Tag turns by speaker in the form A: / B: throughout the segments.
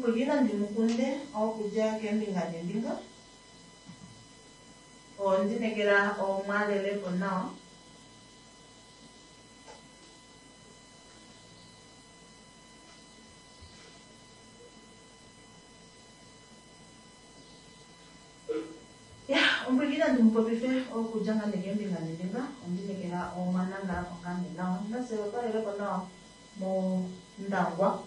A: Omupwilikini nandi mu kunde okudja keembinga neembinga. Ondinekela omwalelepo nawa. Ya, omupwilikini nandi mu popife okudja ngaa nee keembinga neembinga. Ondinekela omwanangalapo ngaa nee nawa. Nafye otwalelepo nawa mOndangwa.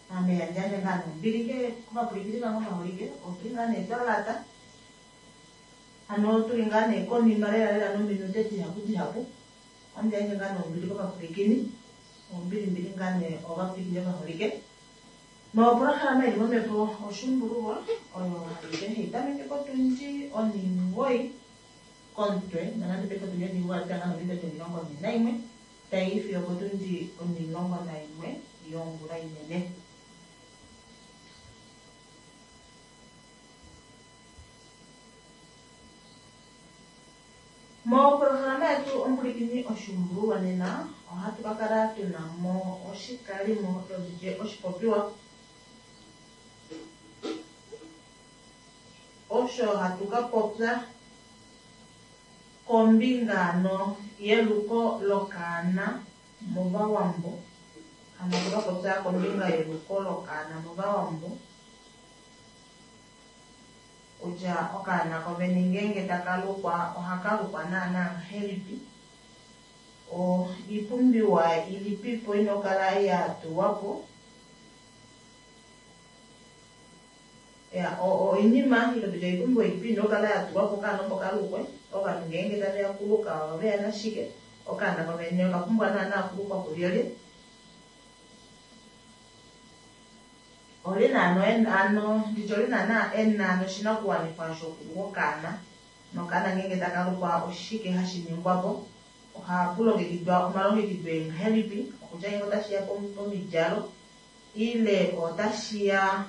A: Ame handi yandje ngaa nee ombili kovapwilikini vange ovaholike. Otuli ngaa nee twa lata. Hano tuli ngaa nee konima lela lela nominute dihapu dihapu. Ohandi yandje ngaa nee ombili kovapwilikini. Ombilimbili ngaa nee ovapwilikini ovaholike. Nopolohalama ili momhepo Oshuumbululwa oyo hai tameke potundi onhimugoyi komutwe nonande paife otundi onhimugoyi oya pita ngaa nominute 41 tai i fiyo opotundi 11 yongula inene. Mopolohalama yetu omupwilikini Oshuumbululwa nena ohatu ka kala tuna mo oshikalimo toditye oshipopiwa osho hatu ka popya kombinga ano yeluko lokaana mOvawambo. Hano hatu ka popya kombinga yeluko lokaana mOvawambo. Kutya okaana kovene ngeenge taka lukwa ohaka lukwa naana ngahelipi, oipumbiwa ilipipo ina okukala ya tulwa po, oinima ile tutye oipumbiwa ilipi ina okukala ya tulwa po okaana opo kalukwe, ovanhu ngeenge taveya okuluka ohaveya nashike, okaana kovene okapumbwa naana okulukwa kulyelye. Olye naana hano nditye olye naana ena oshinakuwanifwa shokuluka okaana, nokaana ngeenge taka lukwa oshike hashi ningwa po, ohapu longekidwa omalongekido engahelipi, okutya ngeenge otashiya pomidjalo ile otashiya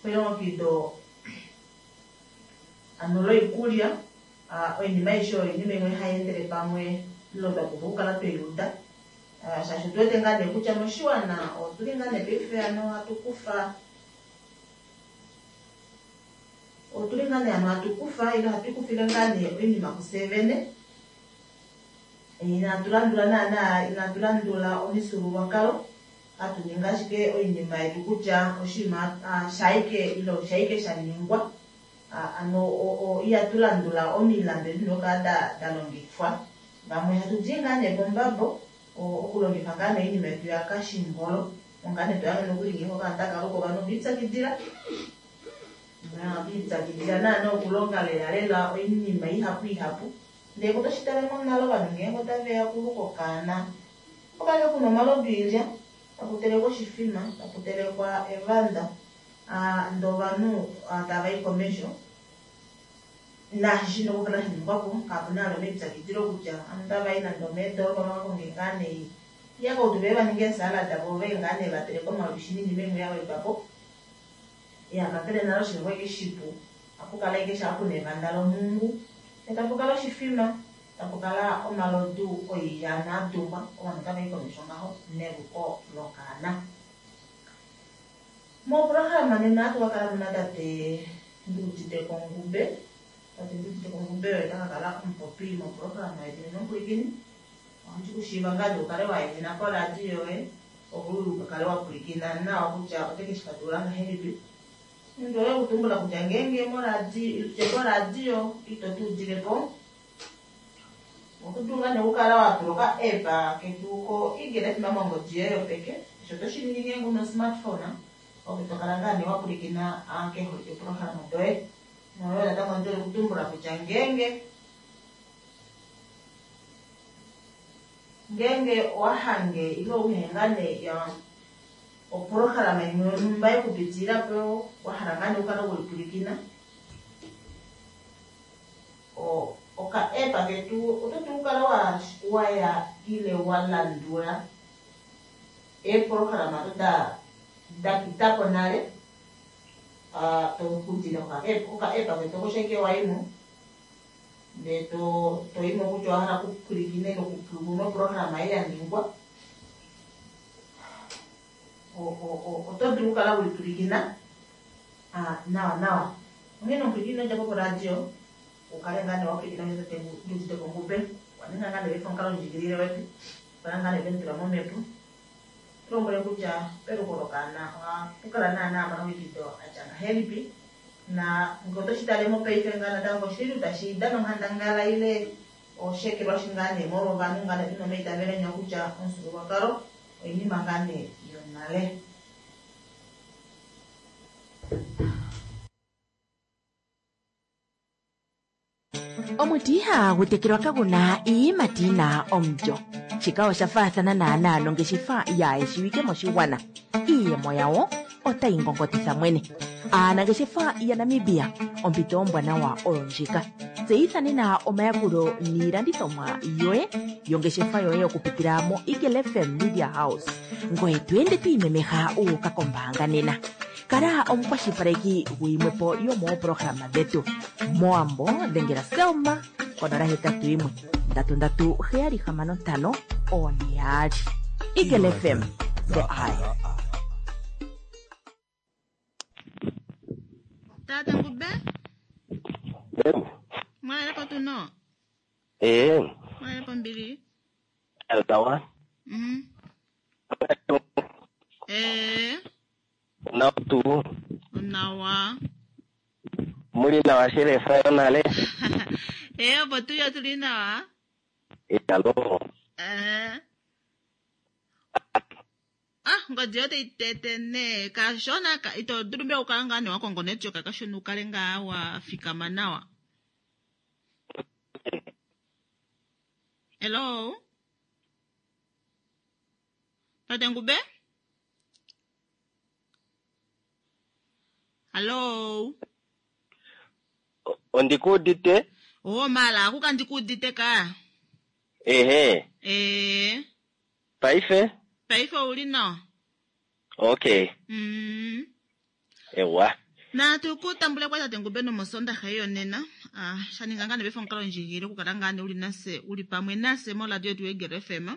A: pelongekido hano loikulya, oinima aishe oyo oinima imwe hai endele pamwe ile twa pumbwa okukala tweiuda. Shaashi otu wete ngaa nee kutya moshiwana otuli ngaa nee paife hano hatu kufa otuli ngaa nee hano hatu kufa ile hatu ikufile ngaa nee oinima kufye vene. Inatu landula naana inatu landula omifyuululwakalo hatu ningi ashike oinima yetu kutya oshinima shaike ile oshaike sha ningwa. Hano ihatu landula omilandu edi dina okukala da longifwa. Vamwe hatu di ngaa nee pombabo okulongifa ngaa nee oinima yetu yakashimbolo. Onga nee tohange nokuli ngeenge okaana taka luka ovanhu oviipyakidila. Oviipyakidila naana okulonga lela lela oinima ihapu ihapu. Ndee otoshi tale monale ovanhu ngeenge otaveya okuluka okaana, opo kale kuna omalodu oilya, taku telekwa oshifima, taku telekwa evanda, ndee ovanhu tavai komesho naashi shina okukala shaningwapo kapuna vali omaipyakidilo kutya ovanhu otavai nande omeedoropa vakakonge ngaa nee iihakautu veye vaninge eesalad voo veye ngaa nee vateleke omalwishi noinima imwe yawedwapo. Iya kakele nale oshinima okwali ashike shipu ohapukala ashike shaa puna evanda lomungu ndee tapukala oshifima tapukala omalodu oilya naadungwa ovanhu otavai komesho ngaho neluko lokaana. Mopolohalama nena ohatu kakala muna tate Nduuditeko Ngube. Tate Nduuditeko Ngube oye taka kala omupopi mopolohalama yetu nena omupwilikini. Ohandi kushiiva ngaa nee ukale wa ehena poradio yoye opo ukakale wa pwilikina nawa kutya ote keshi fatulula ngahelipi. Ondi hole okutumbula kutya ngeenge moradio poradio ito tu udilepo oto dulu ngaa nee okukala wa tula oka app ketu ko Eagle FM mongodi yoye yopeke. Osho oto shi ningi ngeenge una osmartphone ove tokala ngaa nee wa pwilikina keeholike polohalama doye. Noyo natango ondi hole okutumbula kutya ngeenge ngeenge owa hange ile uhe ngaa nee opolohalama imwe yonhumba yekupitilila po wahala ngaa nee ukale weipwilikina, oka app ketu oto dulu okukala waya ile wa landula eepolohalama odo da pitapo nale tokudila koka app ketu oko ashike waimo ndee toyimo kutya owahala okupwilikina ile okupulumuna opolohalama ei yaningwa, oto dulu okukala weipwilikina. Nawa nawa. Onghene omupwilikini ino dja po poradio u kale ngaa nee wa pwilikina osho tate Nduudite Ngube okwa ninga ngaa nee paife omukalondjikilile wetu okukala ngaa nee twe mu tula momhepo. Tu lombwele kutya peluko lokaana ohapu kala naana omalongekido a tya ngahelipi na ngee oto shi tale mopaife ngaa natango oshili tuu tashi dana onghandangala ile osheekelwashi ngaa nee molwa ovanhu ngaa nee tuna omaitavelo enya kutya omufyuululwakalo oinima ngaa nee yonale.
B: Omuti ihaagu tekelwa kagu na iiyimati yi na omulyo. Shika osha faathana naanaa nongeshefa yaayeshiwike moshigwana. Iiyemo yawo otayi ngongotitha mwene. Aanangeshefa yaNamibia, ompito ombwanawa oyo ndjika. Tseyitha nena omayakulo niilandithomwa yoye yongeshefa yoye okupitila moEagle FM Media House. Ngoye to ende to imemeha wu uka kombaanga nena. Kala omukwashilipaleki guyimwe po yomoopolohalama dhetu. Mowambo dhengela Selma konola hetatu yimwe ndatu ndatu heyali hamano ntano oone yaali. Eagle FM, the eye.
A: Tata Ngube, mwalelepo tuno?
C: Ee.
A: Mwalelepo mbili?
C: Altawa.
A: Ee.
C: Nawa tuu.
A: Onawa.
C: Muli nawa shelefa yonale.
A: Ee, opo tuyo tuli nawa.
C: Alo.
A: Ee. Ah, ngodi yote itete ne kashona ka, ito dulu mbela okukala ngaa nee wa kongo network kashona ukale ngaa wa fikama nawa. Hello? Tate Ngube? Hello?
C: Ondikuudite?
A: Oh, mala, akuka ndikuudite ka.
C: Ehe.
A: Ee.
C: Paife?
A: Paife ouli nawa.
C: Okay. Ewa.
A: Natu ku tambule kwa tate Ngube nomosondaxa yonena. Ah, sha ninga ngaa nee omukalo ndjigilile okukala ngaa nee uli nase uli pamwe nase moradio yetu yeEagle FM.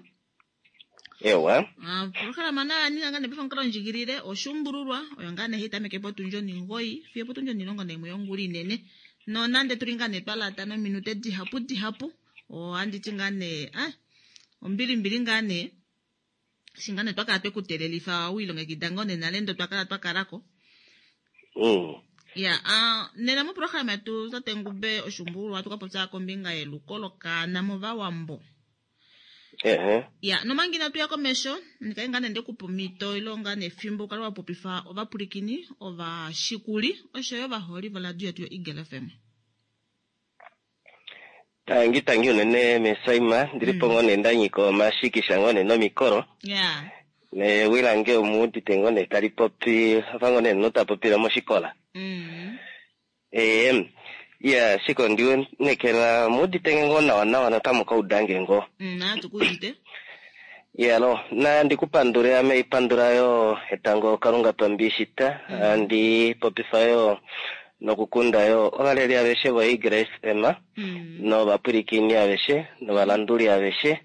C: Ewa.
A: Ah, programa na ninga ngaa nee omukalo ndjigilile oshuumbululwa oyo ngaa nee hayi tameke potundi onimgoyi fiyo potundi onilongo naimwe yongula inene. Nonande tuli ngaa nee twa lata nominute dihapu dihapu, ohandi ti ngaa nee ah, ombilimbili ngaa nee. Eshi ngaa nee twa kala twe ku teelelifa wi ilongekida ngoo nee nale ndo twa kala twa kalako. Ya, ah, nena moprograma yetu tate Ngube oshuumbululwa ohatu ka popya kombinga yeluko lokaana movawambo.
C: Ehe.
A: Ya, nomanga inatu ya komesho, ndikaye ngaa nee ndekupa omhito ile ngaa nee efimbo ukale wa popifa ovapwilikini, ovashikuli oshoyo ovaholi voradio yetu yoEagle FM.
C: Tangi tangi unene mesaima ndilipo ngoo nee ndanyika omashikisha ngoo nee nomikolo.
A: Ya.
C: Newi lange omuudite ngoo nee tali popi afa ngoo nee omunhu ta popile moshikola. Ee, ya shike ondiwonekela omuudite nge ngoo nawa nawa notamu ka uda nge ngoo.
A: Natu ku udite.
C: Yalo, na ndikupandule ame ipandula yo etango Kalunga pambishita, andi popifa yo nokukunda yo ovaleli aveshe voEagle FM, novapwilikini aveshe, novalanduli aveshe.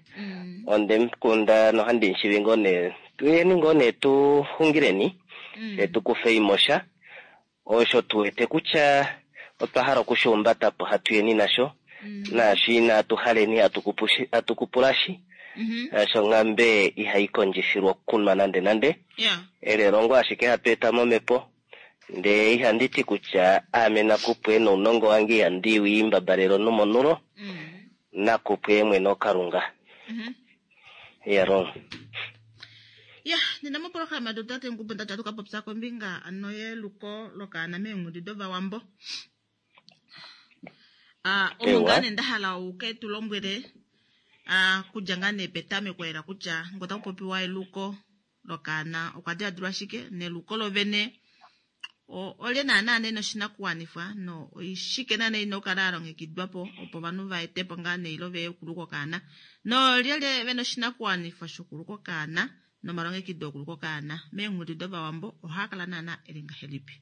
C: Onde mukunda nohandi mushivi ngoo nee, tuyeni ngoo nee tu xungileni, fye tu kufe imosha, osho tu wete kutya otwa hala okushiumbata po hatuyeni nasho, naashi inatu haleni hatu kupulashi. Osho nghambe ihai kondjifilwa okunwa nande nande. Elelongo ashike hatu eta momhepo. Ndee ihandi ti kutya aame nakupwe nounongo wange ihandi wiimbabalelo nomonulo. Nakupwe mwene oKalunga. Yalo.
A: Ya, nena moprograma yetu tate Ngube ndati hatu ka popya kombinga ano yeluko lokaana meenghedi dovawambo. Ah, omo ngaa nee nda hala uke tu lombwele, ah, kudja ngaa nee petameko lela kutya ngee otaku popiwa eluko lokaana okwa diladilwa shike, neluko lovene olye naana nee noshinakuwanifwa no oishike naana ina okukala ya longekidwa po opo ovanhu va etepo ngaa nee ile veye okuluka okaana, noolyelye vena oshinakuwanifwa shokuluka okaana nomalongekido okuluka okaana meenghedi dovawambo ohaa kala naana eli ngahelipi.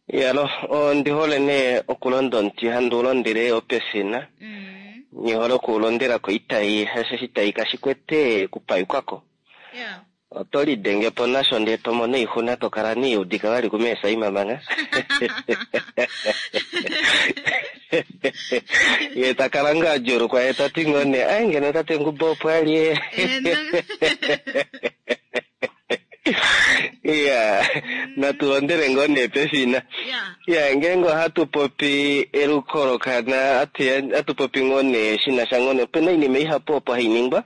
C: Yalo, ondi hole nee okulonda omuti handi ulondele opefina. Nihole okuulondela koitai, hasho oshitayi kashi kwete kupayukako. Oto lidenge po nasho ndee to mono oixuna to kala niiudika vali kumeesaima manga. Ye ta kala ngaa a djuulukwa ye ta ti ngoo nee ai ngeno tate Ngubo opo a li e. Iya, natu londele ngoo nee pefina. Iya, ngeenge ohatu popi eluko lokaana, hatu popi ngoo nee shi na sha ngoo nee, opena oinima ihapu opo hai ningwa.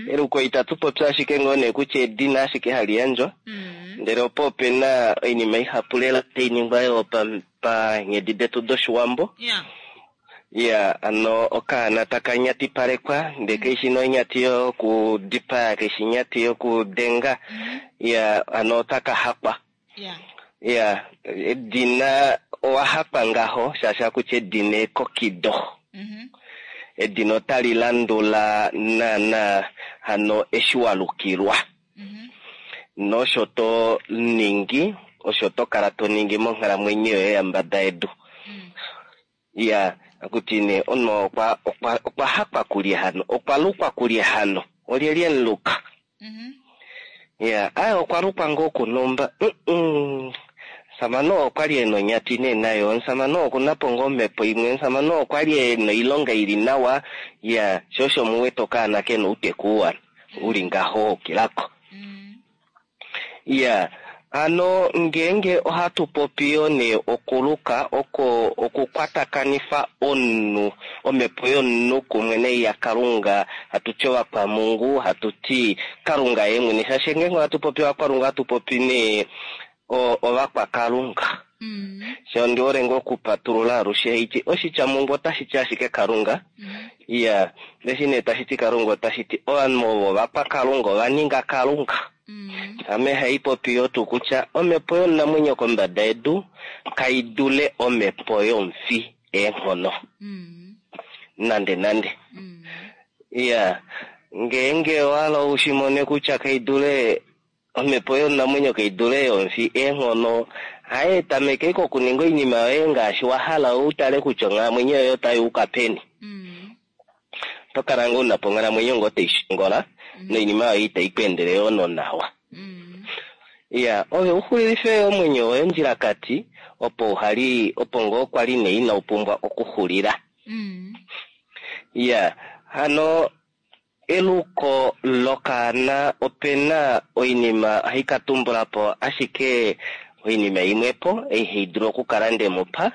C: Eluko itatu popi ashike ngoo nee kutya edina ashike hali yandjwa, ndele opo opena oinima ihapu lela tai ningwa yoo panghedi detu dOshiwambo. Iya, ano okaana taka nyatipalekwa, ndee kaishi nee onyati yokudipaya, kaishi onyati yokudenga. Iya, ano otaka hakwa. Iya, edina owa hakwa ngaho, shaashi ohaku ti edina ekokido. Edina otali landula naana hano eshi wa lukilwa. Nosho to ningi, osho to kala to ningi monghalamwenyo yoye yambada yedu. Iya, akuti nee omunhu okwa okwa okwa hakwa kulye hano, okwa lukwa kulye hano, olyelye emuluka? Iya, aye okwa lukwa ngoo kunhumba, mm omusamane oo okwali ena onyati nee nayo, omusamane oo okuna po ngoo omhepo imwe, omusamane oo okwali ena oilonga ili nawa, iya, sho osho muwete okaana kena outeku uwa uli ngaho waukilako. Iya, hano ngeenge ohatu popi yoo nee okuluka oko okukwatakanifa omunhu, omhepo yomunhu kumwe nei yaKalunga, hatu ti ovakwamungu, hatu ti Kalunga ye mwene, shaashi ngeenge ohatu popi ovakwamungu ohatu popi nee ovakwakalunga. Sha ondi hole ngoo okupatulula alushe haiti oshitya mungu otashi ti ashike Kalunga. Iya, eshi nee tashi ti Kalunga otashi ti ovanhu ovo ovakwakalunga, ova ninga Kalunga. Ame hai popi yo tuu kutya omhepo yomunamwenyo kombada yedu kai dule omhepo yomufi eenghono. Nande nande. Iya, ngeenge owa hala u shi mone kutya kai dule omhepo yomunamwenyo kai dule yomufi eenghono, haye tameka ashike okuninga oinima yoye ngaashi wa hala u tale kutya onghalamwenyo yoye otai uka peni. Oto kala ngoo una po onghalamwenyo ngoo tai shongola noinima yoye itai ku endele yoo nonawa. Iya, ove u xulilife yoo omwenyo woye ondjilakati opo uhali opo ngoo kwali nee inau pumbwa okuxulila. Iya, hano eluko lokaana opena oinima ohai ka tumbula po ashike oinima imwepo ei hai dulu okukala nde mu pa.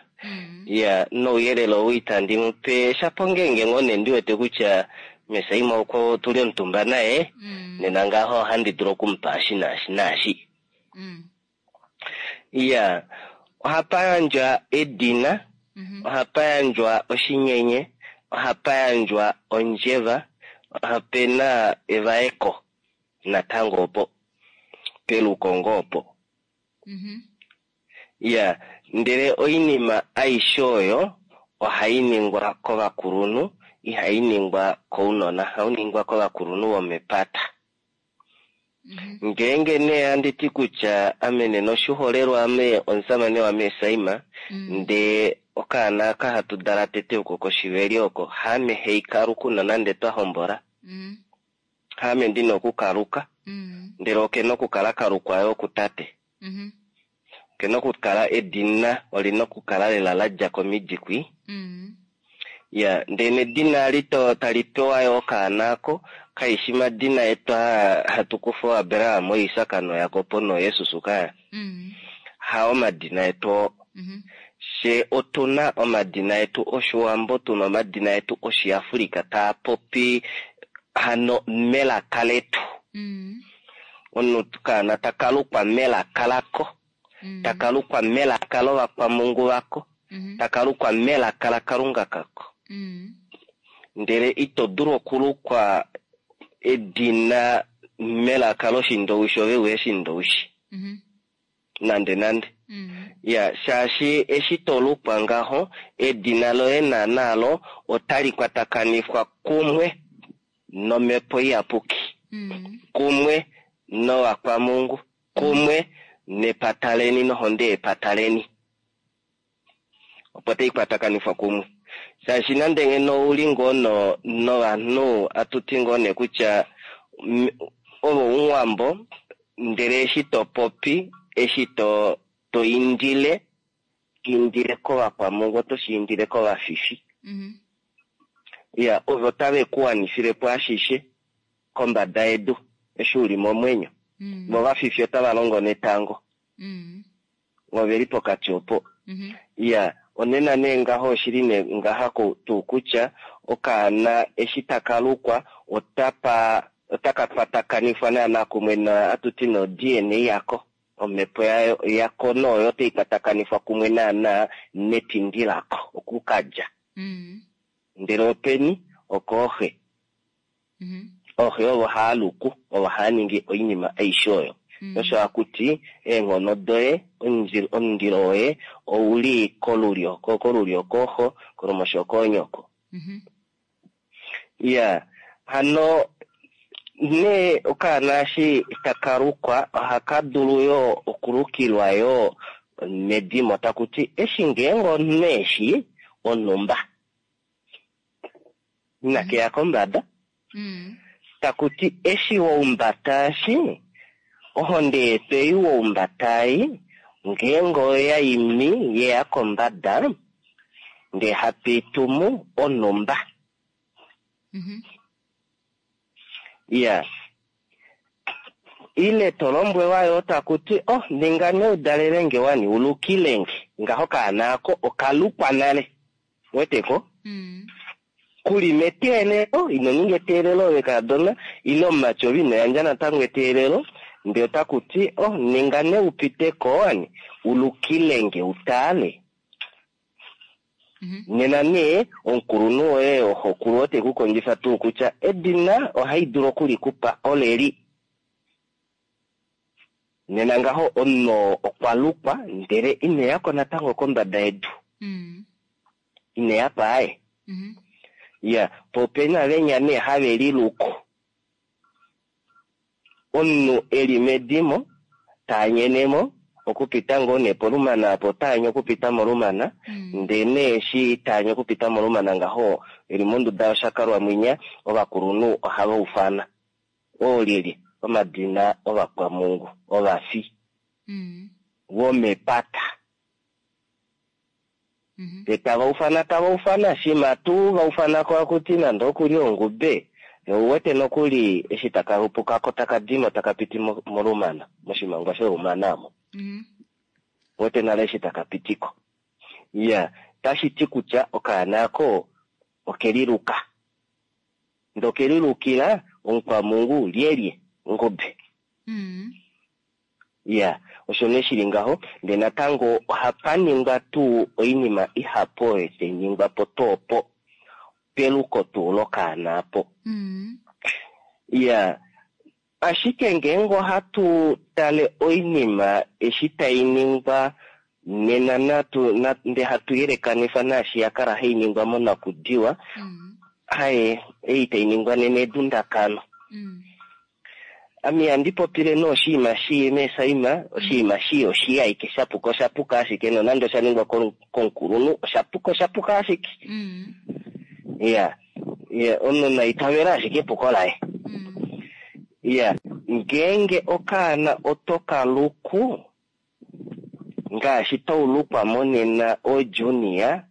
C: Iya, nouyelele ou itandi mu pe shapo ngeenge ngoo nee ndi wete kutya Mesaima oko tuli omutumba naye, nena ngaho ohandi dulu oku mu pa eshi naashi naashi. Iya, ohapa yandjwa edina, ohapa yandjwa oshinyenye, ohapa yandjwa ondjeva, ope na evaeko natango opo, peluko ngoo opo. Iya, ndele oinima aishe oyo ohai ningwa kovakulunhu, ihai ningwa kounona, ohau ningwa kovakulunhu vomepata. Ngeenge nee handi ti kutya ame nena oshiholelwa ame omusamane waMesaima, ndee okaana aka hatu dala tete oko koshiveli oko, haame hei kaluku nonande twa hombola. Haame ndina okukaluka, ndele okena okukala kalukwa yoo kutate. Okena okukala edina olina okukala lela la dja komidi kwi. Ya, ndele nedina ali to tali pewa yo okaana ako, kaishi madina etu aa hatu kufa ooAbraham, ooIsak nooJakob nooJesus kaya. Hao omadina etu oo. Fye otu na omadina etu Oshiwambo, tu na omadina etu Oshiafrika taa popi hano melaka letu. Omunhu okaana taka lukwa melaka lako, taka lukwa melaka lovakwamungu vako, taka lukwa melaka laKalunga kako. Ndele ito dulu okulukwa edina melaka lOshindowishi ove uhe Shindowishi. Nande nande. Ya, shaashi eshi to lukwa ngaho, edina loye naanaa lo otali kwatakanifwa kumwe nOmhepo Iyapuki, kumwe novakwamungu, kumwe nepata leni nohonde yepata leni. Opo tai kwatakanifwa kumwe. Shaashi nande ngeno ou li ngoo no, novanhu, atu ti ngoo nee kutya, ove omuwambo, Ndele eshi to popi, eshi to to indile, indile kovakwamungu, oto shi indile kovafifi. Ya, ovo tave ku wanifile po ashishe kombada yedu eshi u li momwenyo. Vo ovafifi otava longo netango. Ove li pokati opo. Ya, onena nee ngaho oshili nee ngaha tuu kutya okaana eshi taka lukwa otapa otaka kwatakanifwa naana kumwe na hatu ti no-DNA yako, omhepo yayo yako noyo otai kwatakanifwa kumwe naana netindi lako oku ka dja. Ndele openi? Okooxe. Ooxe ovo haa luku, ovo haa ningi oinima aishe oyo. Osho hakuti eenghono doye, omundilo woye ouli kolulyo, kolulyo kooxo, kolumosho koonyoko. Ya, hano nee okaana eshi taka lukwa ohaka dulu yoo okulukilwa yoo medimo, taku ti eshi ngeenge omunhu eshi onhumba inake ya kombada, taku ti eshi waumbata eshi ohonde yetu ei waumbata ei ngeenge oya imi yeya kombada ndee hatu i tumu onhumba. Ya, ile to lombwelwa yoo taku ti oh ninga nee udalele nge wani ulukile nge ngaho okaana ako okalukwa nale, weteko? Kuli meteelelo, ino ninga eteelelo ove kaadona ile omumati ove ino yandja natango eteelelo, ndee otaku ti oh ninga nee upite ko wani ulukile nge utale. Nena nee omukulunhu woye oxokulu ote ku kondjifa tuu kutya edina ohai dulu okulikupa oleli. Nena ngaho omunhu oo okwa lukwa ndele ine ya ko natango kombada yedu. Ine ya pa aye. Ya, po opena venya nee have liluku. Omunhu e li medimo taanyene mo okupita ngoo nee polumana apo otaanye okupita molumana, ndee nee eshi taanye okupita molumana ngaho e li monduda yoshakalwa mwinya, ovakulunhu ohava ufana oolyelye omadina ovakwamungu, ovafi vomepata. Ndee tava ufana tava ufana, shima tuu va ufana ko akuti nande okuli ongube, ou wete nokuli eshi taka lupuka ko taka dimo taka piti molumana, moshimangwa sholumana omo. Wete nale eshi taka pitiko. Ya, tashi ti kutya okaana ako okeliluka. Ndee okelilukila omukwamungu lyelye? Ongube. Ya, osho nee shili ngaho. Ndee natango ohapa ningwa tuu oinima ihapu oyo tai ningwa po tuu opo peluko tuu lokaana apo. Ya, ashike ngeenge ohatu tale oinima eshi tai ningwa nena natu, na, ndee hatu yelekanifa naashi ya kala hai ningwa monakudiwa, haye ei tai ningwa nena edundakano. Ame ihandi popile nee oshinima shii meesaima, oshinima shii oshii ashike, sha puka osha puka ashike, nonande osha ningwa komukulunhu, osha puka osha puka ashike. Ya, ya, omunhu na itavele ashike epuko laye. Ya, ngeenge okaana oto ka luku, ngaashi taulukwa monena oJunia,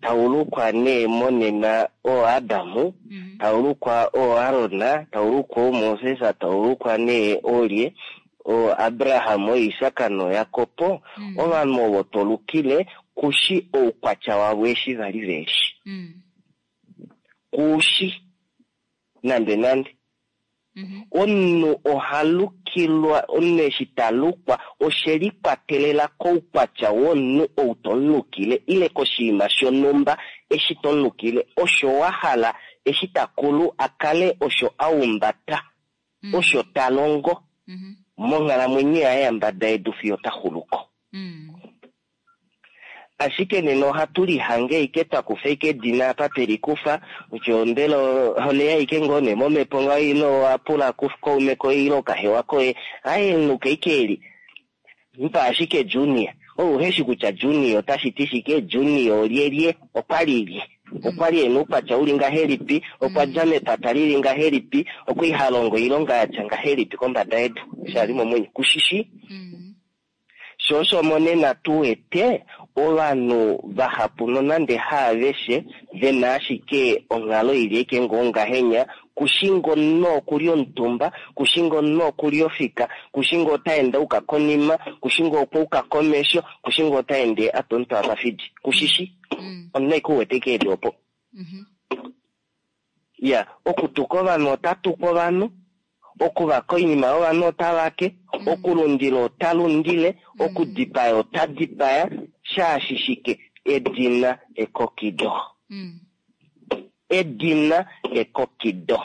C: taulukwa nee monena ooAdamu, taulukwa ooAron, taulukwa ooMoses, taulukwa nee oolye, ooAbraham, ooIsak nooJakob, ovanhu ovo to lukile kushi oukwatya wavo eshi va li ve shi. Kushi nande nande. Omunhu oha lukilwa, omunhu eshi ta lukwa oshe likwatelela koukwatya womunhu ou to mu lukile ile koshinima shonhumba eshi to mu lukile, osho wa hala eshi ta kulu a kale osho a humbata, osho ta longo monghalamwenyo yaye yambada yedu fiyo ta xulu ko. Ashike nena ohatu lihange ashike twa kufa ashike edina apa twe likufa, kutya mbela oleya ashike ngoo nee momhepo ngaho ile owa pula kaume koye ile okahewa koye, aye luka ashike eli, mupa ashike Junior. Ou uhe shi kutya Junior otashi ti shike, Junior olyelye, okwa li lye. Okwa li e na oukwatya uli ngahelipi? Okwa dja mepata lili ngahelipi? Okwa li ha longo oilonga ya tya ngahelipi kombada yedu eshi a li momwenyo? Kushi shii. Sho osho monena tu wete ovanhu vahapu nonande haaveshe ve na ashike onghalo ili eke ngoo ngahenya, kushi ngoo omunhu okuli omutumba, kushi ngoo omunhu okuli ofika, kushi ngoo ota ende auka konima, kushi ngoo okwa uka komesho, kushi ngoo ota ende a twa omutwe apa fidi. Kushi shi. Omunhu aike u wete eke eli opo. Ya, okutuka ovanhu ota tuku ovanhu, okuvaka oinima yovanhu ota vake, okulundila ota lundile, okudipaya ota dipaya, shaashi shike? Edina ekokido. Edina ekokido.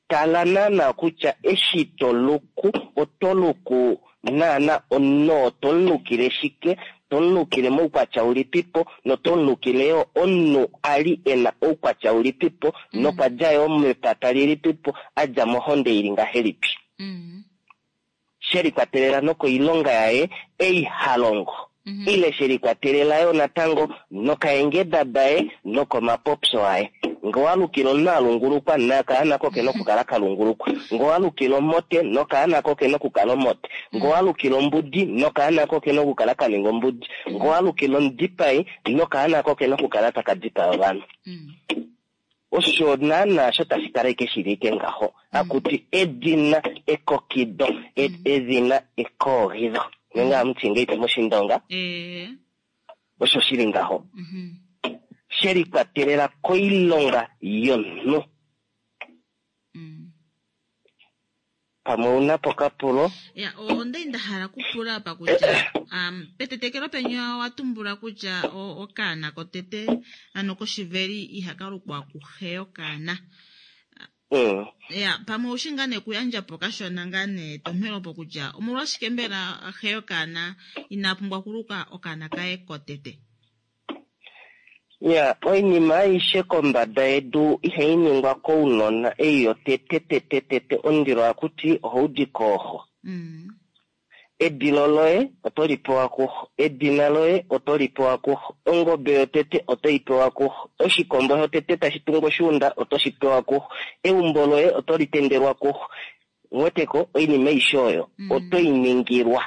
C: Tala naana kutya eshi to luku, oto luku naana omunhu oo to mu lukile shike, to mu lukile moukwatya ulipipo, noto mu lukile yoo omunhu a li e na oukwatya ulipipo, nokwa dja yoo mepata lilipipo, a dja mohonde ili ngahelipi. She likwatelela nokoilonga yaye ei ha longo, ile she likwatelela yo natango nokaengeda daye nokomapopyo aye. Nge owa lukile omunhu a lungulukwa, nokaana ko ke na okukala ka lungulukwa. Nge owa lukile omote, nokaana ko ke na okukala omote. Nge owa lukile ombudi, nokaana ko ke na okukala ka ninga ombudi. Nge owa lukile omudipai, nokaana ko ke na okukala taka dipaya ovanhu. Osho naana sho tashi kala ike shili ike ngaho. Akuti edina ekokido, edhina ekoogidho. Nenge amuti ngeipi moshindonga? Osho shili ngaho. She likwatelela koilonga yomunhu. Pamwe ou na po okapulo?
A: Ya, onda li nda hala okupula apa kutya um, petetekelo peni owa tumbula kutya okaana kotete ano koshiveli ihaka lukwa kuxe yokaana. Ya, pamwe oushi ngaa nee okuyandja po kashona ngaa nee etomhelo opo kutya omolwashike mbela xe yokaana ina pumbwa okuluka okaana kaye kotete?
C: Ya, oinima aishe kombada yedu ihai ningwa kounona, ei yotete tete tete omundilo ohaku ti ohau di kooxo. Edilo loye oto li pewa kuxo, edina loye oto li pewa kuxo, ongobe yotete oto i pewa kuxo, oshikombo shotete tashi tungu oshuunda oto shi pewa kuxo, eumbo loye oto li tendelwa kuxo. Uweteko, oinima aishe oyo oto i ningilwa.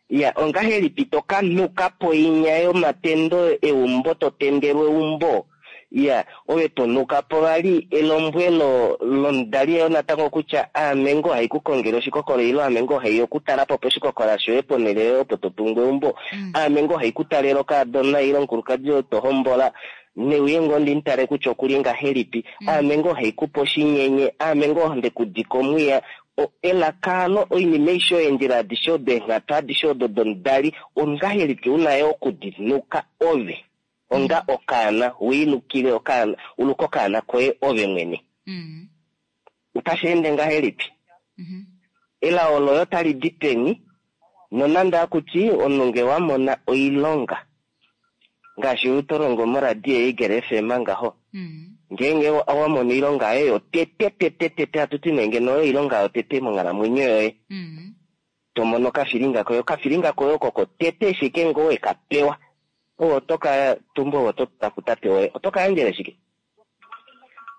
C: Ya, ongahelipi to ka nhuka poinya yomatendo eumbo to tendelwa eumbo? Ya, ove to nhuka po vali elombwelo lomudali yo natango kutya aame ngoo hai ku kongele oshikokola ile aame ngoo hai okutala po poshikokola shoye ponhele yoye opo to tungu eumbo. Aame ngoo hai ku talele okaadona ile omukulukadi oo to hombola. Neuye ngoo ndi mu tale kutya oku li ngahelipi. Aame ngoo hai ku pe oshinyenye, aame ngoo nde ku dika omwiya. O, elaka alo, oinima aishe oyo, eendjila adishe odo, eenghatu adishe odo domudali, ongahelipi u na yo oku di nuka ove, onga okaana, u i lukile okaana, u luke okaana koye ove mwene? Otashi ende ngahelipi? Elao loye otali di peni, nonande haku ti omunhu nge wa mona oilonga, ngaashi ou to longo moradio yaEagle FM ngaho, ngeenge wa mono oilonga yoye yotete tete tete, hatu ti nee ngeno oyo oilonga yotete monghalamwenyo yoye, to mono okafilinga koye, okafilinga koye oko kotete ashike ngoo we ka pewa, ove oto ka tumba ove oto tula kutate woye, oto ka yandjele shike?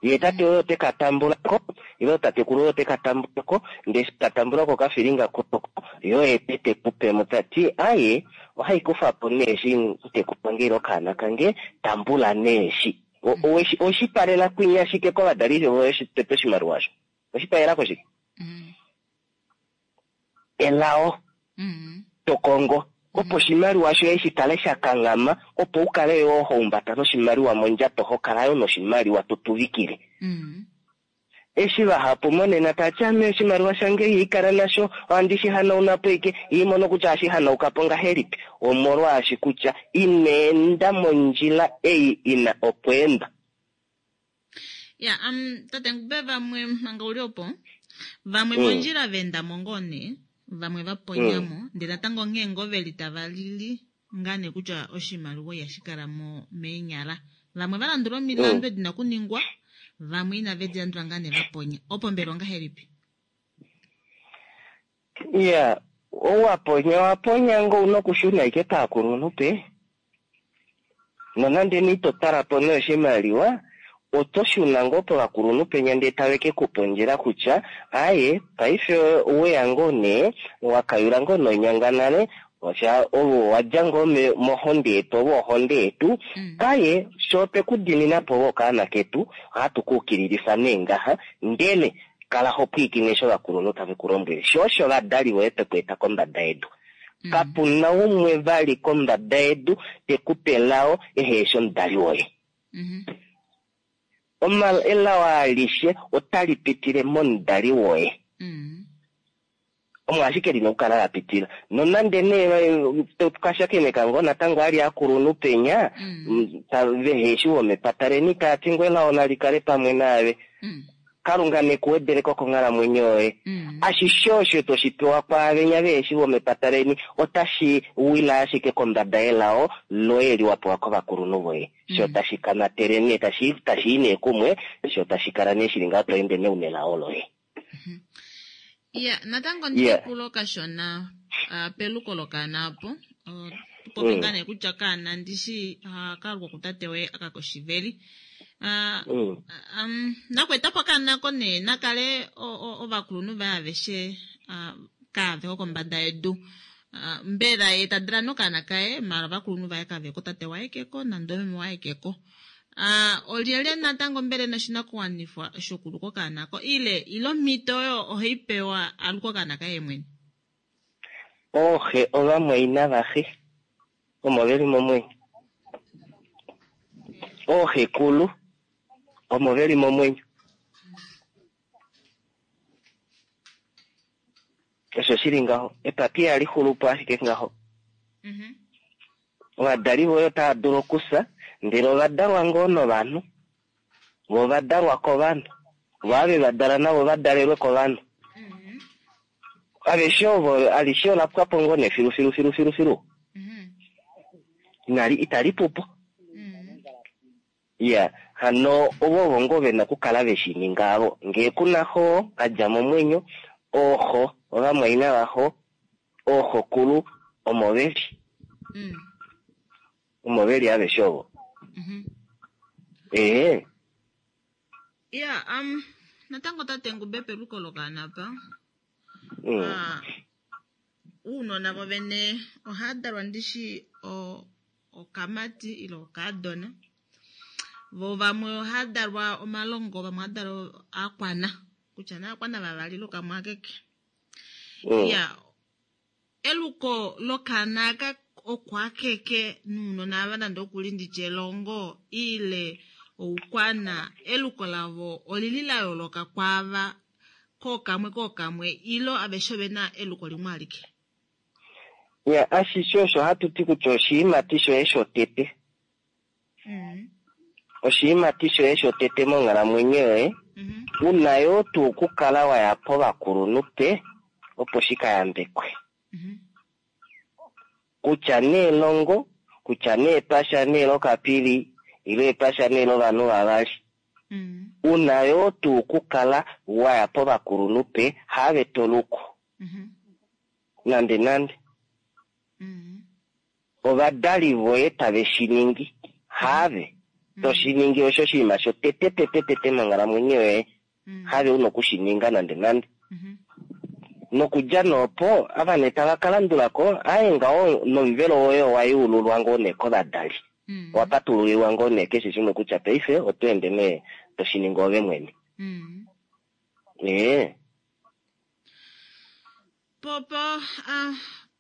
C: Ye tate woye ote ka tambula ko, ile tatekulu woye ote ka tambula ko, ndele eshi ka tambula ko okafilinga koko, ye oye te te ku pe mo, ta ti, Aye, ohai kufa po nee eshi mutekulu wange ile okaana kange, tambula nee eshi. Owe shi palela kwinya shike kovadali voye tete oshimaliwa osho? Owe shi palela ko shike? Elao to kongo opo oshimaliwa shoye shi kale sha kanghama, opo u kale yoo ho humbata noshimaliwa mondjato, ho kala yoo noshimaliwa to tuvikile. Eshi vahapu monena tava ti, Ame oshimaliwa shange ihai kala nasho, ohandi shi hanauna po ashike, ihai mono kutya ohashi hanauka po ngahelipi. Omolwaashi kutya ina enda mondjila ei i na okweenda.
A: Ya, um, tate Ngube vamwe manga uli opo, vamwe mondjila va enda mo ngoo nee, vamwe va ponya mo, ndele natango onghee ngoo ve li tava lili ngaa nee kutya oshimaliwa ihashi kala mo meenyala. Vamwe va landula omilandu edi na okuningwa, vamwe inave di landula ngaa nee va ponya. Opo mbela ongahelipi?
C: Ya, ou wa ponya owa ponya ngoo, ouna okushuna ashike paakulunhu pe. Nonande nee ito twala po nee oshimaliwa, oto shuna ngoo povakulunhu penya ndee tave ke ku pa ondjila kutya aaye paife oweya ngoo nee wakayula ngoo nonyanga nale, ovo wadja ngoo mohonde yetu, ovo ohonde yetu, kaye sho otwe ku dimina po ove okaana ketu, ohatu ku ukililifa nee ngaha, ndele kala ho pwiikine eshi ovakulunhu tave ku lombwele, sho osho ovadali voye tweku eta kombada yedu. Kapuna umwe vali kombada yedu te ku pe elao ehe eshi omudali woye. Elao alishe otali pitile momudali woye. Omo ashike lina okukala la pitila. Nonande nee tukashakeneka ngoo natango ali akulunhu penya, vehe eshi womepata leni tava ti ngoo elao nali kale pamwe naave. Kalunga neku wedeleko konghalamwenyo yoye. Ashishe osho toshi pewa kwaavenya vehe shi vomepata leni otashi wila ashike kombada yelao loye li wa pewa kovakulunhu voye. Sho tashi kamatele nee, tashi i nee kumwe, sho tashi kala nee shili ngaho to ende nee una elao loye.
A: Ya, natango ndikupulo kashona peluko lokaana opo. Tupopi ngaa nee kutya kaana ndishi hakalukwa kutate woye aka koshiveli. Nakweetapo okaana ko nee nakale ovakulunhu vaye aveshe kaveko kombada yedu. Mbela ye ta dala nokaana kaye maala ovakulunhu vaye kaveko, tate waye keko nande omeme waye keko. Olyelye natango mbela ena oshinakuwanifwa shokuluka okaana ko ile ile omhito oyo ohai pewa aluke okaana kaye mwene?
C: Ooxe ovamwaina vaxe omo veli momwenyo. Ooxekulu omo veli momwenyo. Osho shili ngaho. Epapi ihali xulupo ashike ngaho. Ovadali voye otava dulu okufya, ndele ova dalwa ngoo novanhu. Vo ova dalwa kovanhu. Vo ave va dala navo va dalelwe kovanhu. Aveshe ovo alishe ola pwa po ngoo nee filu filu filu filu filu. Inali itali pupo. Ya, hano ovo ovo ngoo vena okukala ve shi ninga avo. Ngee kuna xo a dja momwenyo, ooxo, ovamwaina vaxo, ooxokulu omo veli. Omo veli aveshe ovo. Ee.
A: Ya, natango tate Ngube peluko lokaana apa. Uunona vovene ohava dalwa ndishi okamati ile okaadona. Vo vamwe ohava dalwa omalongo, vamwe ohava dalwa akwana. Kutya nee akwana vavali ile okamwe akeke. Ya, eluko lokaana aka oko akeke nounona ava nande okuli nditye elongo ile oukwana, eluko lavo olili la yooloka kwaava kookamwe kookamwe ilo aveshe ovena eluko limwe alike.
C: Ya, ashishe osho hatu ti kutya oshiimati shoye shotete. Oshiimati shoye shotete monghalamwenyo yoye, una yoo tuu okukala wa ya povakulunhu pe opo shi ka yambekwe. Kutya nee elongo, kutya nee epasha nee lokapili, ile epasha nee lovanhu vavali. Una yoo tuu okukala wa ya povakulunhu pe have to luku. Nande nande. Ovadali voye tave shi ningi, have to shi ningi osho oshinima shotete tete tete monghalamwenyo yoye, have una oku shi ninga nande nande. Nokudja noopo, ava nee tava ka landula ko, aye ngaho nomuvelo woye owa yeululwa ngoo nee kovadali. Owa patululilwa ngoo nee keshe shimwe kutya paife oto ende nee to shi ningi ove mwene. Ee.
A: Popo,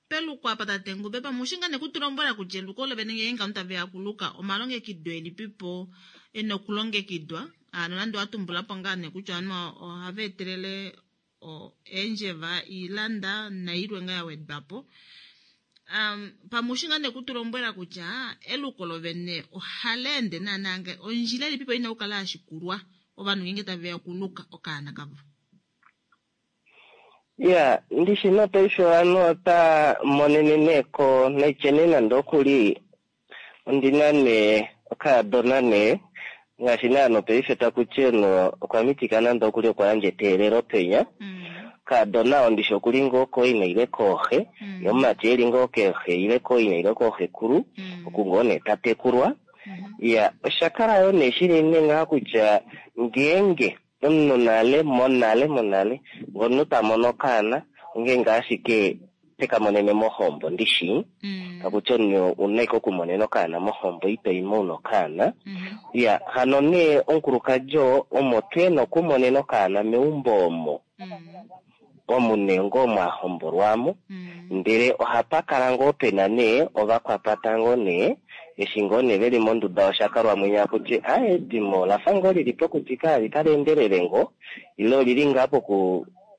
A: peluko apa tate Ngube, pamwe oshi ngaa nee kutulombwela kutya eluko olo vene ngeenge ovanhu tave ya kuluka, omalongekido elipipo e na okulongekidwa? Nonande owa tumbula po ngaa nee kutya ovanhu ohava etelele eendjeva, iilanda nailwe ngaa ya wedwa po. Pamwe oshi ngaa nee kutulombwela kutya eluko lovene ohali ende naanaa nge ondjila elipipo ina okukala ya shikulwa ovanhu ngeenge tave ya okuluka okaana kavo?
C: Ya, ndishi nopaife ovanhu ota monene nee ko naitye nee nande okuli ondina nee okaadona nee ngaashi naa nopaife taku ti no okwa mitika nande okuli okwa yandja eteelelo penya. Okaadona oo ndishi okuli ngoo kooina ile kooxe, ye omumati eli ngoo keexe ile kooina ile kooxekulu, oku ngoo nee ta tekulwa. Ya, osha kala yo nee shili nee ngaha kutya ngeenge omunhu nale monale monale ngono ta mono okaana ongeenge ashike teka monene mohombo ndishi takuti omunhu una ashike okumonena okaana mohombo ito imo una okaana. Ya, hano nee omukulukadi oo omo tu ena okumonena okaana meumbo omo omu nee ngoo mwa hombolwamo, ndele ohapa kala ngoo pena nee ovakwapata ngoo nee eshi ngoo nee veli monduda yoshakalwa mwenya akuti aye edimo olafa ngoo lili pokutika ali tali endelele ngoo ile olili ngaa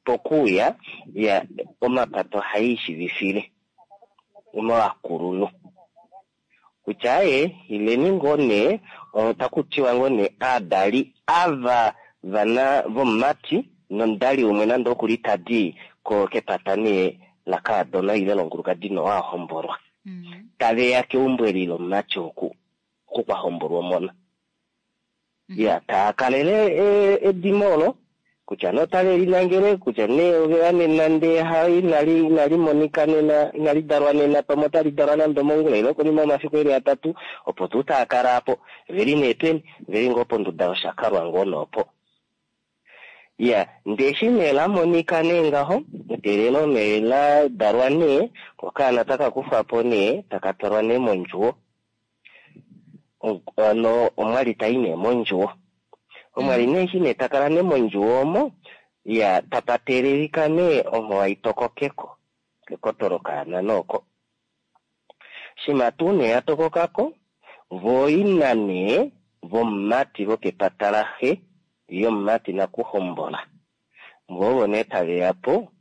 C: pokuuya ya omapata ohai ishivifile ovakulunhu kutya aye ileni ngoo nee otaku tiwa ngoo nee aadali ava vana vomumati nomudali umwe nande okuli tadi ko kepata nee lakaadona ile lonkulukadi nowa hombolwa taveya keumbo eli lomumati oku oku kwa hombolwa omona. Ya, taa kalele edimo olo kutya nee otave linangele kutya nee oveya nena ndee ha inali monika nena inali dalwa nena pamwe otali dalwa nande omongula ile konima yomafiku eli atatu opo tuu taa kala apo veli nee peni veli ngoo ponduda yoshakalwa ngoo noopo. Ya, ndee eshi nee la monika nee ngaho eteelelo nee la dalwa nee okaana taka kufwa po nee taka twalwa nee mondjuwo ano omwali tai nee mondjuwo omwali nee eshi nee takala nee mondjuwo omo ya tapa teelelika nee onhowa itokokeko kekoto lokaana nooko shima tuu nee yatokokako voo ina nee vomumati vokepata laxe yomumati nakuhombola voo nee taveya po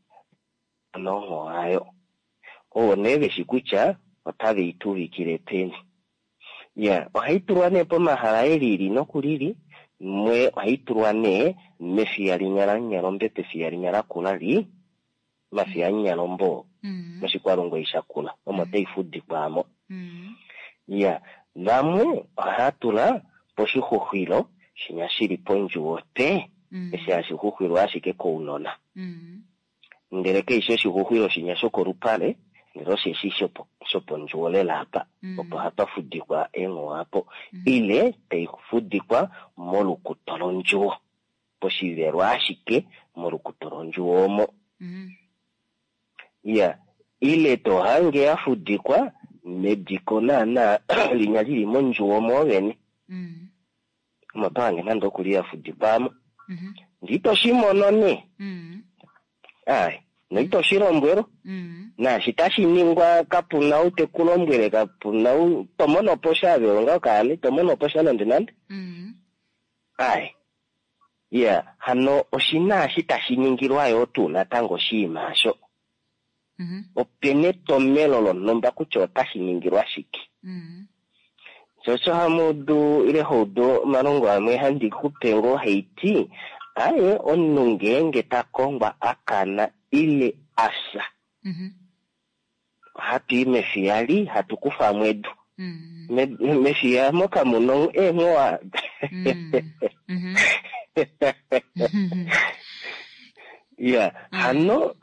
C: nonhowa ayo ovo nee veshi kutya otave ituvikile peni. Ya, ohai tulwa nee pomahala elili nokulili mwe ohai tulwa nee mefiya linya lanyalombe pefiya linya lakula li mafiya anyalombo moshikwalongo ishakula omo tai fudikwamo. Ya, vamwe ohaya tula poshixuxwilo shinya shili pondjuwo te eshi hashi xuxwilwa ashike kounona. Ndele keishi oshixuxwilo shinya shokolupale ndele osheshi shopondjuwo lela apa opo hapa fudikwa eenghowa apo ile tai fudikwa molukuto londjuwo poshivelo ashike molukuto londjuwo omo. Ya, ile to hange ya fudikwa mediko naana linya lili mondjuwo mwoovene omo to hange nande okuli ya fudikwamo ndee ito shimono nee ai noito shilombwelwa naashi tashi ningwa kapuna ou tekulombwele kapuna ou tomono po sha ave onga okaana itomono po sha nande nande. Ai ya hano oshina eshi tashi ningilwa yoo tuu natango oshiima asho opena etomelo lonhumba kutya otashi ningilwa shike. Sho osho hamuudu ile houdu omalongo amwe handi kupe ngoo haiti aye omunhu ngeenge ta kongwa akana ile afya ohatu i mefiya li hatu kufamo edu mefiya mo kamuna eenghowa. Ya, hano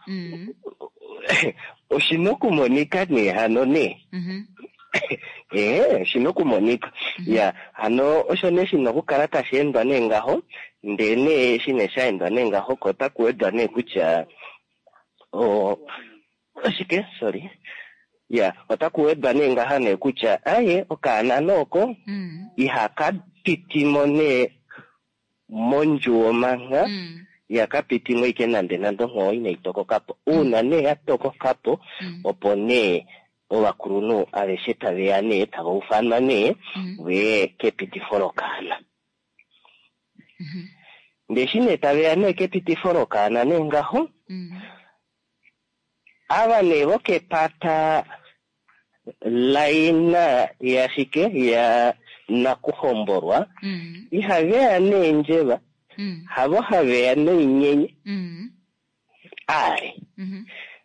C: oshina okumonika nee hano nee oshina okumonika. Ya, hano osho nee shina okukala tashi endwa nee ngaho ndee nee eshi nee sha endwa nee ngaho ko otaku wedwa nee kutya oshike sorry ya otaku wedwa nee ngaha nee kutya aye okaana nooko ihaka pitimo nee mondjuwo mangha ihaka pitimo ike nande nande onghoo inai tokokapo uuna nee ya tokokapo opo nee ovakulunhu aveshe taveya nee tava ufanwa nee veye kepitifo lokaana. Ndee eshi nee taveya nee kepitifo lokaana nee ngaho ava nee vokepata laina yashike ya nakuhombolwa ihaveya neendjeva havo haveya noinyenye ai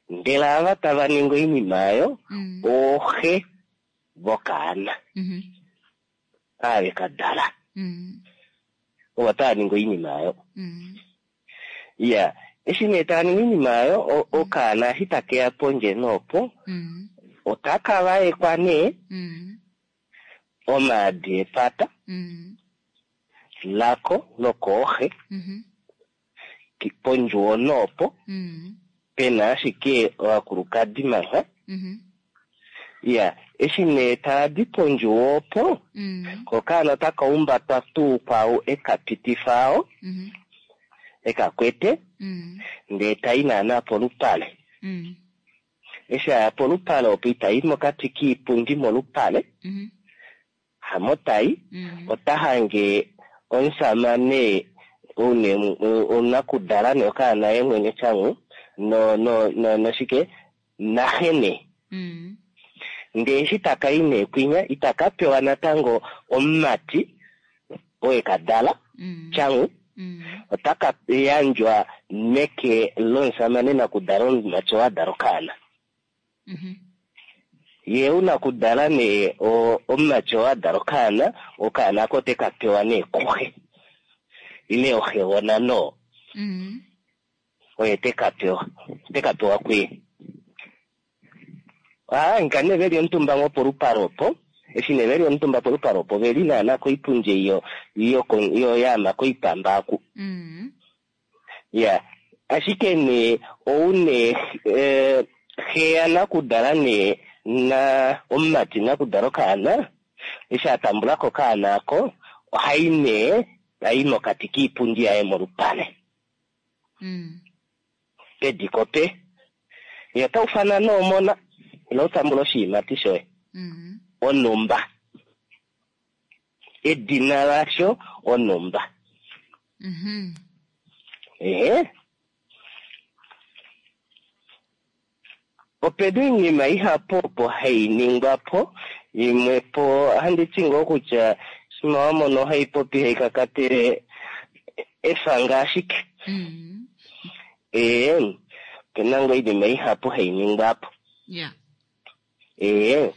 C: ndele ava tava ningi oinima ayo ooxe vokaana ave kadala ovo tava ningi oinima ayo. Ya, eshi nee tava ningi oinima ayo okaana eshi takeya pondje noopo otaka vaekwa nee. Omaadi epata lako lokooxe pondjuwo noopo pena ashike ovakulukadi mangha. Ya, eshi nee taadi pondjuwo opo, kokaana otaka umbatwa tuu kwau eka pitifa ao, eka kwete, ndee tai naana polupale. Eshi aya polupale opo itai mokati kiipundi molupale, hamo tai, ota hange omusamane onakudala ne okaana ye mwene tyangu, no no no noshike naxe nee. Ndee eshi taka i nee kwinya itaka pewa natango omumati oo eka dala tyangu, otaka yandjwa meke lomusamane nakudala omumati oo a dala okaana. Ye ou nakudala nee omumati oo a dala okaana, okaana ako oteka pewa nee kuxe ile oxegona noo oye teka pewa, teka pewa kuye. Ohava nee veli omutumba ngoo polupale opo, eshi nee veli omutumba polupale opo veli naana koipundi ei yo yaama koipamba aku. Ya, ashike nee ou nee xe yanakudala nee na omumati nakudala okaana, eshi a tambula ko okaana ako, ohai nee tai mokati kiipundi yaye molupale. Pediko pe. Ye ota ufana noomona, ilo utambula oshiimati shoye. Onumba. Edina lasho onumba. Ehe. Opena oinima ihapu opo hai ningwa po, imwe po handi ti ngoo kutya shima wa mono hai popi hai kakatele efanga ashike. Ee, opena ngoo oinima ihapu hai ningwa po. Ee,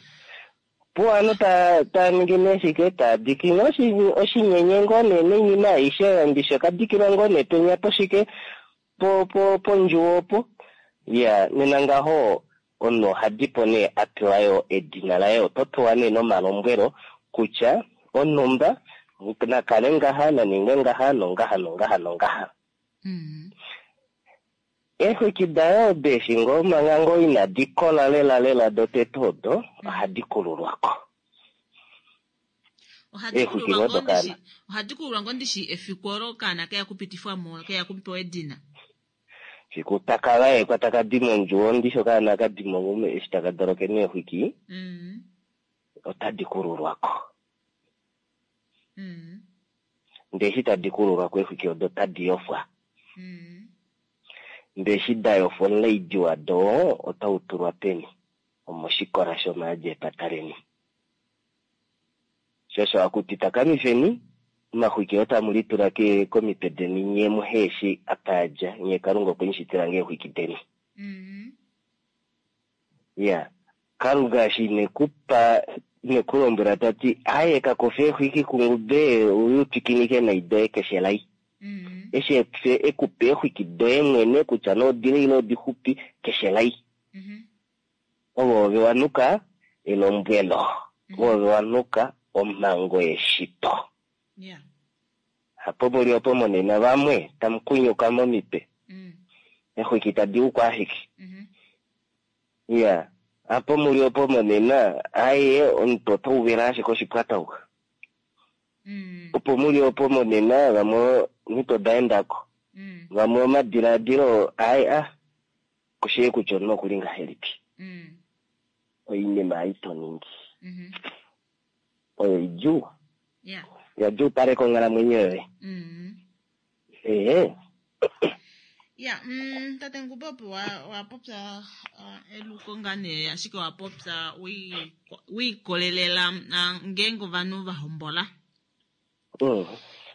C: po ovanhu tava ningi nee shike, tava diki ngoo oshinyenye ngoo nee noinima aishe ndishi okadikilwa ngoo nee penya poshike pondjuwo opo. Ya, nena ngaho omunhu oha dipo nee a pewa yo edina laye, oto pewa nee nomalombwelo kutya onhumba nakale ngaha, naningwe ngaha, nongaha, nongaha, nongaha. Eexwiki dayo odo eshi ngoo manga ngoo inadi kola lela lela dotete odo, ohadi kululwa ko. Eexwiki ngoo dokaana.
B: Ohadi kululwa ngoo ndishi efiku olo okaana keya kupitifwa mo, keya kupewa edina.
C: Fiku taka vaekwa taka di mondjuwo ndishi okaana ka di mo eshi taka doloke neexwiki, otadi kululwa ko. Ndee eshi tadi kululwa ko eexwiki odo otadi yofwa. Ndee eshi da yofwa omulaidi wado otau tulwa peni? Omoshikola shomaadi epata leni. Sho osho hakuti takamifeni omaxwiki oo tamu litula komitwe deni nye muhe eshi apa a dja, nye Kalunga okwe mu shitila ngee eexwiki deni. Ya, Kalunga eshi ine ku pa, ine ku lombwela ta ti, aye ka kufe eexwiki kungube uye u twikinike nai doye keshe lai. Eshi e ku pa eexwiki doye mwene kutya nee odile ile odixupi keshe lai. Ove ove wa nuka elombwelo, ove ove wa nuka omhango yeshito. Hapo muli opo monena vamwe tamu kunyuka momitwe, eexwiki tadi u ashike. Ya, hapo muli opo monena, aye omuntu ota uvela ashike oshipwatauka. Opo muli opo monena vamwe omito da endako, vamwe omadiladilo aye a kushii kutya omunhu okuli ngahelipi. Oinima ei to ningi oyo idjuu, ya djuupaleka onghalamwenyo yoye. Ehe.
B: Ya, tate Ngube opo wa popya eluko ngaa nee, ashike wa popya we ikolelela ngeenge ovanhu va hombola.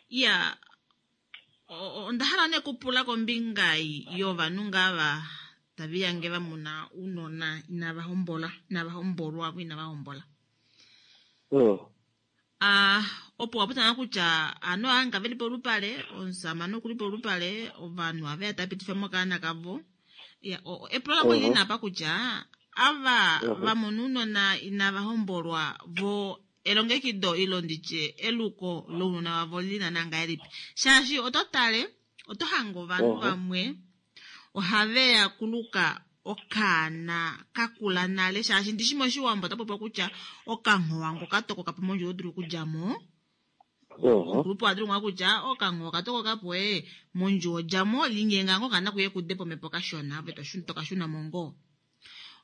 B: Ya, onda hala nee kupula kombinga yovanhu ngaa va tave lihange va mona ounona inava hombola, inava hombolwa vo inava hombola. Opo wa popya kutya ovanhu ava veli polupale, omusamane okuli polupale, ovanhu ava tava pitifa mo okaana kavo. Epulo lange olili nee apa kutya ava va mona ounona inava hombolwa vo.
A: elongekido ilo nditye eluko lounona vavo li na ngahelipi, shaashi oto tale oto hange ovanhu vamwe ohave ya kuluka okaana kakula nale, shaashi ndishi moshiwambo ota popiwa kutya okanghowa ngoka tokoka po mondjuwo dulu okudja mo. Omukulupe oha dulu ngaa kutya okanghowa okatokoka po mondjuwo djamo linyenga ngo okaana kuye kude pomhepo kashona ove tokashuna mo ngoo.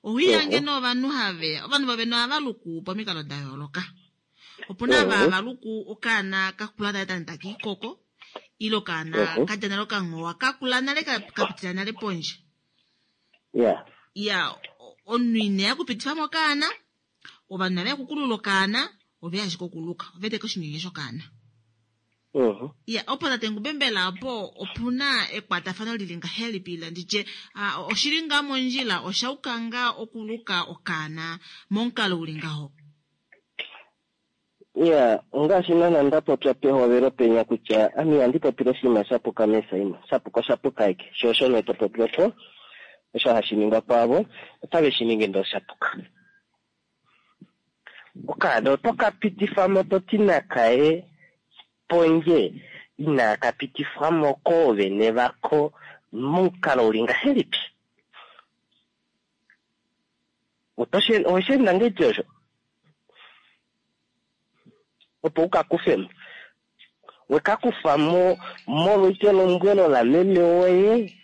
A: Ohiyange novanhu haveya ovanhu vavene ohava luku pomikalo da yooloka. Opuna ava hava luku okaana kakula nale tani taka ikoko, ile okaana kadja nale okanghowa kakula nale kapitila nale pondje. Ya omunhu ineya okupitifa mo okaana, ovanhu inave ya okukulula okaana, ove ashike okuluka, ove eteke oshinyenye shokaana. Ya opo tate Ngube mbela opo opuna ekwatafano lili ngahelipi ile nditye oshili ngaa mondjila oshauka ngaa okuluka okaana momukalo uli ngaho?
C: Ya ongaashi naana nda popya pehovelo penya kutya ame ihandi popile oshinima sha puka mesaima, sha puka osha puka eke, sho osho nee to popi opo osho hashi ningwa kwaavo otave shi ningi ndee osha puka. Okaana oto ka pitifa mo to ti nakaye pondje inaaka pitifwa mo koovene vako momukalo uli ngahelipi? Oweshi enda ngahelipi osho? Opo u ka kufe mo. We ka kufa mo molwa elombwelo lameme woye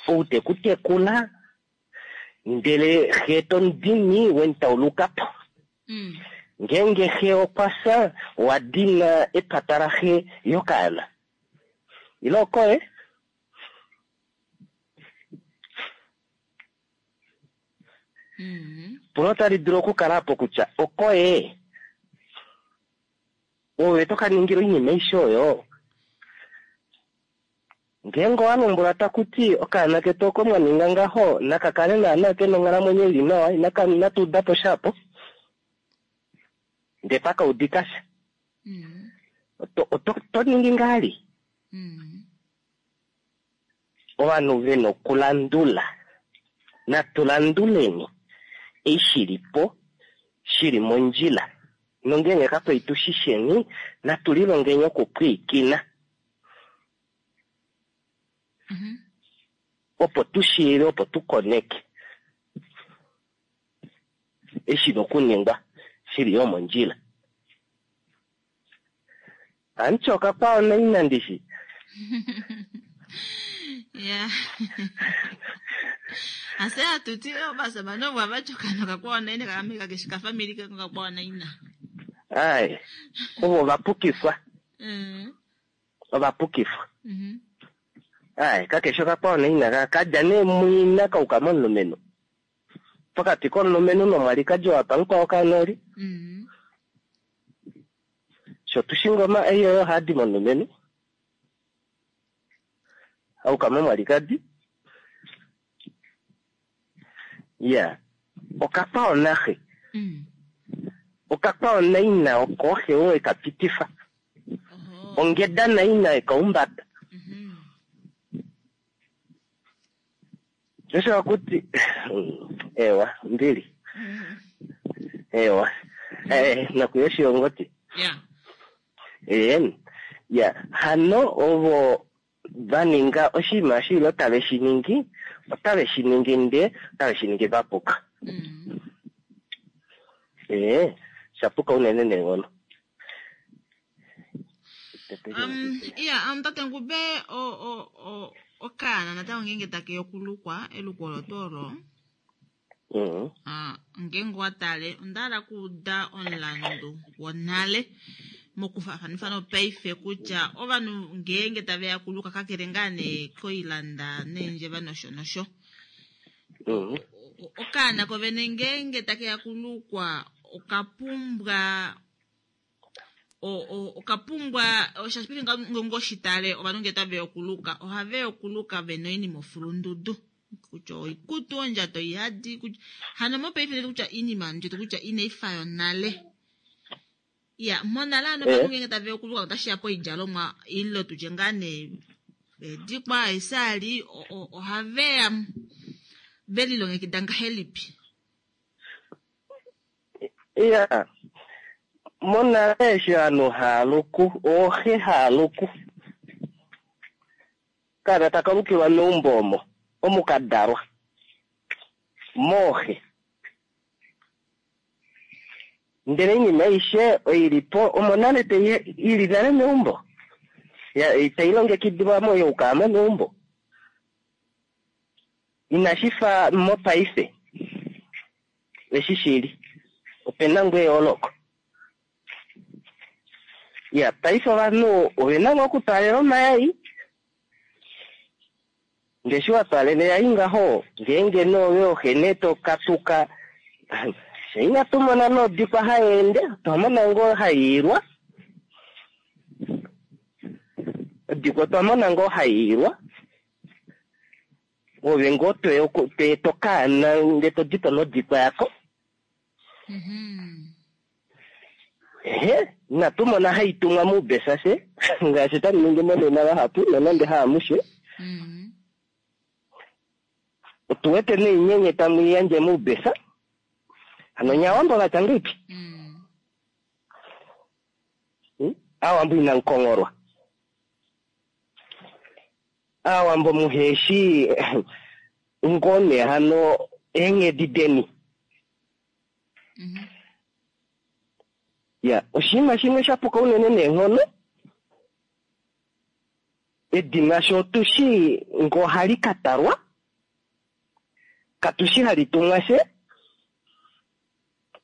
C: ou te ku tekula, ndele xe to mu dini we mu tauluka po. Ngeenge xe okwa fya, owa dina epata laxe yokaana. Ile okoye? Epulo otali dulu okukala apo kutya okoye? Ove to ka ningila oinima aishe oyo? Ngeenge owa lombwelwa taku ti okaana ketu oko mwa ninga ngaho naka kale naana ke na onghalamwenyo ili nawa, inatu uda po sha apo, ndee paka udika sha, oto ningi ngahali? Ovanhu ve na okulandula, natu landuleni ei shi li po shi li mondjila, nongeenge kakwali tu shi sheni, natu lilongeni okupwiikina. Opo tu shiive, opo tu koneke eshi na okuningwa shi li yo mondjila. Amuti okakwao naina ndishi.
A: Ya. Ase atuti ovasamane ovo hava tyoka nokakwao naina kakamwe kakeshi kafamili kako kakwao naina.
C: Ai, ovo ovapukifwa. Ovapukifwa. Ai, kakeshi okakwao naina kadja nee mwina kauka momulumenhu. Pokati komulumenhu nomwalikadi wapa mukwao kanoli. Sho tushi ngoma ei oyo hadi momulumenhu. Auka momwalikadi. Ya, okakwao naxe. Okakwao naina oko xe oo eka pitifa. Ongeda naina ekaumbata. Osho akuti ewa mbili. Ewa. Nakuya oshilongoti. Ya, hano ovo va ninga oshinima shilo tave shi ningi, otave shi ningi nde, otave shi ningi va puka. Sha puka unene neenghono.
A: Iya, tate Ngube okaana natango ngeenge take okulukwa eluko olo tuu olo. Ngeenge wa tale onda hala okuuda omulandu wonale mokufaafanifa nopaife kutya ovanhu ngeenge tave ya kuluka kakele ngaa nee koilanda neendjeva nosho nosho. Okaana kovene ngeenge take ya kulukwa okapumbwa okapumbwa shaashi paife ngeenge oshitale ovanhu ngee tave ya okuluka ohave ya okuluka vena oinima ofulundudu kutya oikutu ondjato ihadi hano mopaife kutya iinima ndjetu kutya inaifa yonale. Ya monale hano ovanhu ngeenge tave ya okuluka otashi ya poidjalomwa ile tutye ngaa nee edikwa eesali ohave ya ve lilongekida ngahelipi?
C: Ya, Monale eshi ovanhu haaluku, ooxe haaluku, okaana taka lukilwa meumbo omo, omu ka dalwa, mooxe. Ndele oinima aishe oi li po omo nale i li nale meumbo, tai longekidilwa mo youkaya mo meumbo. Inashi fa mopaife eshi shili, ope na ngoo eyooloko. Ya, paife ovanhu ove na ngoo okutwaalela omayai, ndee eshi wa twaalela eyai ngaho, ngeenge nee ove oxe nee to katuka, fye inatu mona nodikwa hai ende, otwa mona ngoo hai ilwa. Odikwa otwa mona ngoo hai ilwa. Ove ngoo toeta okaana ndee to di po nodikwa yako. Ehe, inatu mona hai tumwa moubesa fye, ngaashi tamu ningi monena vahapu, nonande haamushe. Otu wete noinyenye tamu i yandje moubesa. Hano nye Aawambo va tya ngahelipi? Aawambo inamu kongholwa. Aawambo muheshi ngoo nee hano eenghedi deni. Ya, oshinima shimwe sha puka unene neenghono, edina sho otu shi ngoo ohali ka talwa, katu shi hali tumwa fye,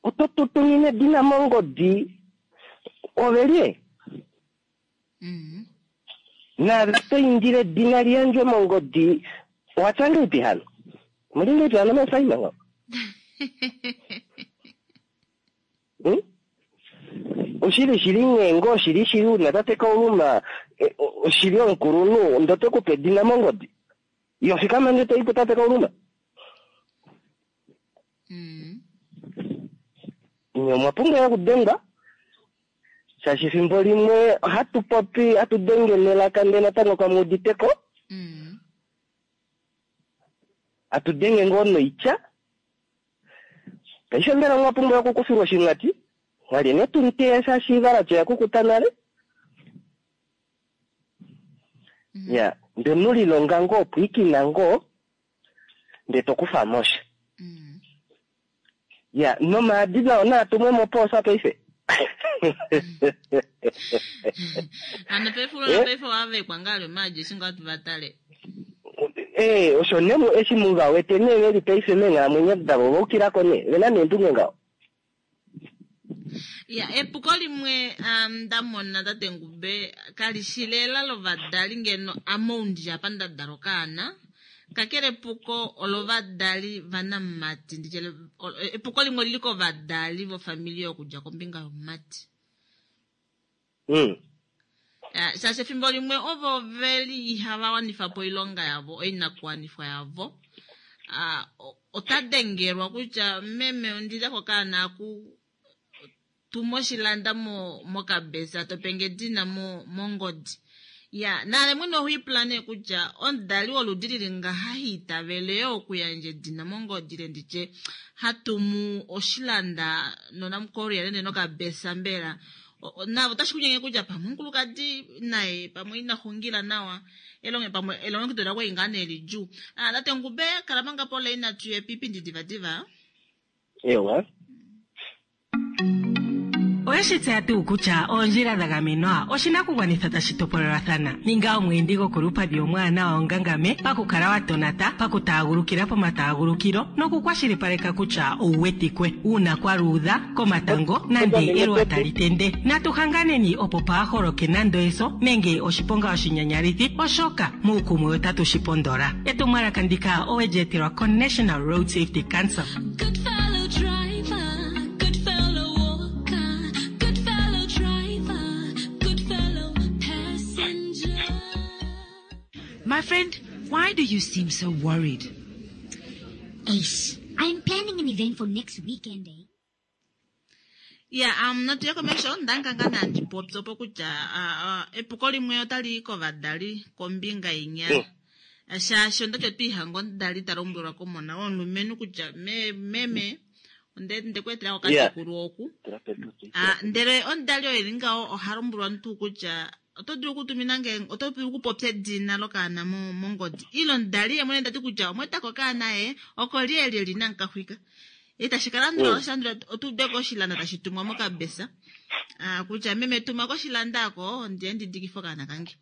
C: oto tu tumine edina mongodi, ove lye? Naave oto indile edina li yandjwe mongodi, owa tya ngahelipi hano? Omuli ngahelipi hano meefaina ngaho? Hmm? Oshili shili nghee ngoo oshili shili una tate Kauluma oshili omukulunhu ndo te ku pe edina mongodi. Iyo fikama nde to i tate Kauluma. Nye omwa pumbwa okudengwa shaashi efimbo limwe ohatu popi hatu denge nelaka ndele natango kamu uditeko. Hatu denge ngoo noitya. Paife mbela omwa pumbwa okukufilwa oshimwati? Mwalye ne tumuteya shaashi ivalati oya kukuta nale. Ya, nde mu lilonga ngoo pwiikina ngoo, nde to kufa mo sha. Ya, nomaadi nao naa tumwe mopoosa paife.
A: Hano paife ulona paife owavekwa ngaa ali omaadi eshi ngaa tu va tale.
C: Ee, osho ne eshi mu va wete nee ve li paife meenghalamwenyo davo, ova ukila ko nee, ve na neendunge ngaho.
A: Ya, epuko limwe nda mona tate Ngube kali shi lela lovadali ngeno ame ou ndi apa nda dala okaana, kakele epuko olovadali vanamumati, nditye epuko limwe olili kovadali vofamili okudja kombinga yomumati. Shaashi efimbo limwe ovo veli ihava wanifa po oilonga yavo, oinakuwanifwa yavo. Ota dengelwa kutya meme ondile kokaana aku tuma oshilanda mokabesa to penge edina mongodi. Ya, naale mwene oho ipula nee kutya omudali woludi lili ngaha ha itavele yoo okuyandja edina mongodi ile nditye ha tumu oshilanda nonamukoria nende nokabesa mbela. Navo otashi kunyenge kutya pamwe omukulukadi naye pamwe ina xungila nawa elonge pamwe elongekido lakwe inga nee lidjuu. Tate Ngube kala manga po leina tuye piipindi divadiva.
C: Ewa.
D: Oweshi tseya tuu kutya oondjila dha gamenwa oshinakugwanithwa tashi topolelwathana? Ninga omweendi gokolupadhi omwaanawa onga ngame pakukala wa tonata, pakutaagulukila pomataagulukilo nokukwashilipaleka kutya owu wetikwe uuna kwa luudha, komatango nande eluwa tali tende. Natu hanganeni opo paa holoke nando eso nenge oshiponga oshinyanyalithi oshoka muukumwe otatu shi pondola. Etumwalaka ndika owe li etelwa koNational Road Safety Council.
E: Good fellow driver, good fellow walker, good fellow driver, good fellow passenger.
B: My friend, why do you seem so worried?
F: Eish, I'm planning an event for next weekend, eh?
A: Ya, natu ye komesho ndanga ngaa nandi popi opo kutya epuko limwe otali yi kovadali kombinga inya. Shaashi ondati otwiihanga omudali ta lombwelwa komona womulumenhu kutya meme. Onde ndekuetela okatekulu oku. Ah, ndele omudali oo eli ngaho oha lombwelwa tuu kutya oto dulu okutumina nge oto dulu okupopya edina lokaana mongodi ile omudali ye mwene tati kutya omweetako okaana ye oko lyelye li namukaxwika itashi ka landula osha landula otu ude ko oshilanda tashi tumwa mokabesa ah, kutya meme tuma koshilanda ako ndiye ndidikife okaana kange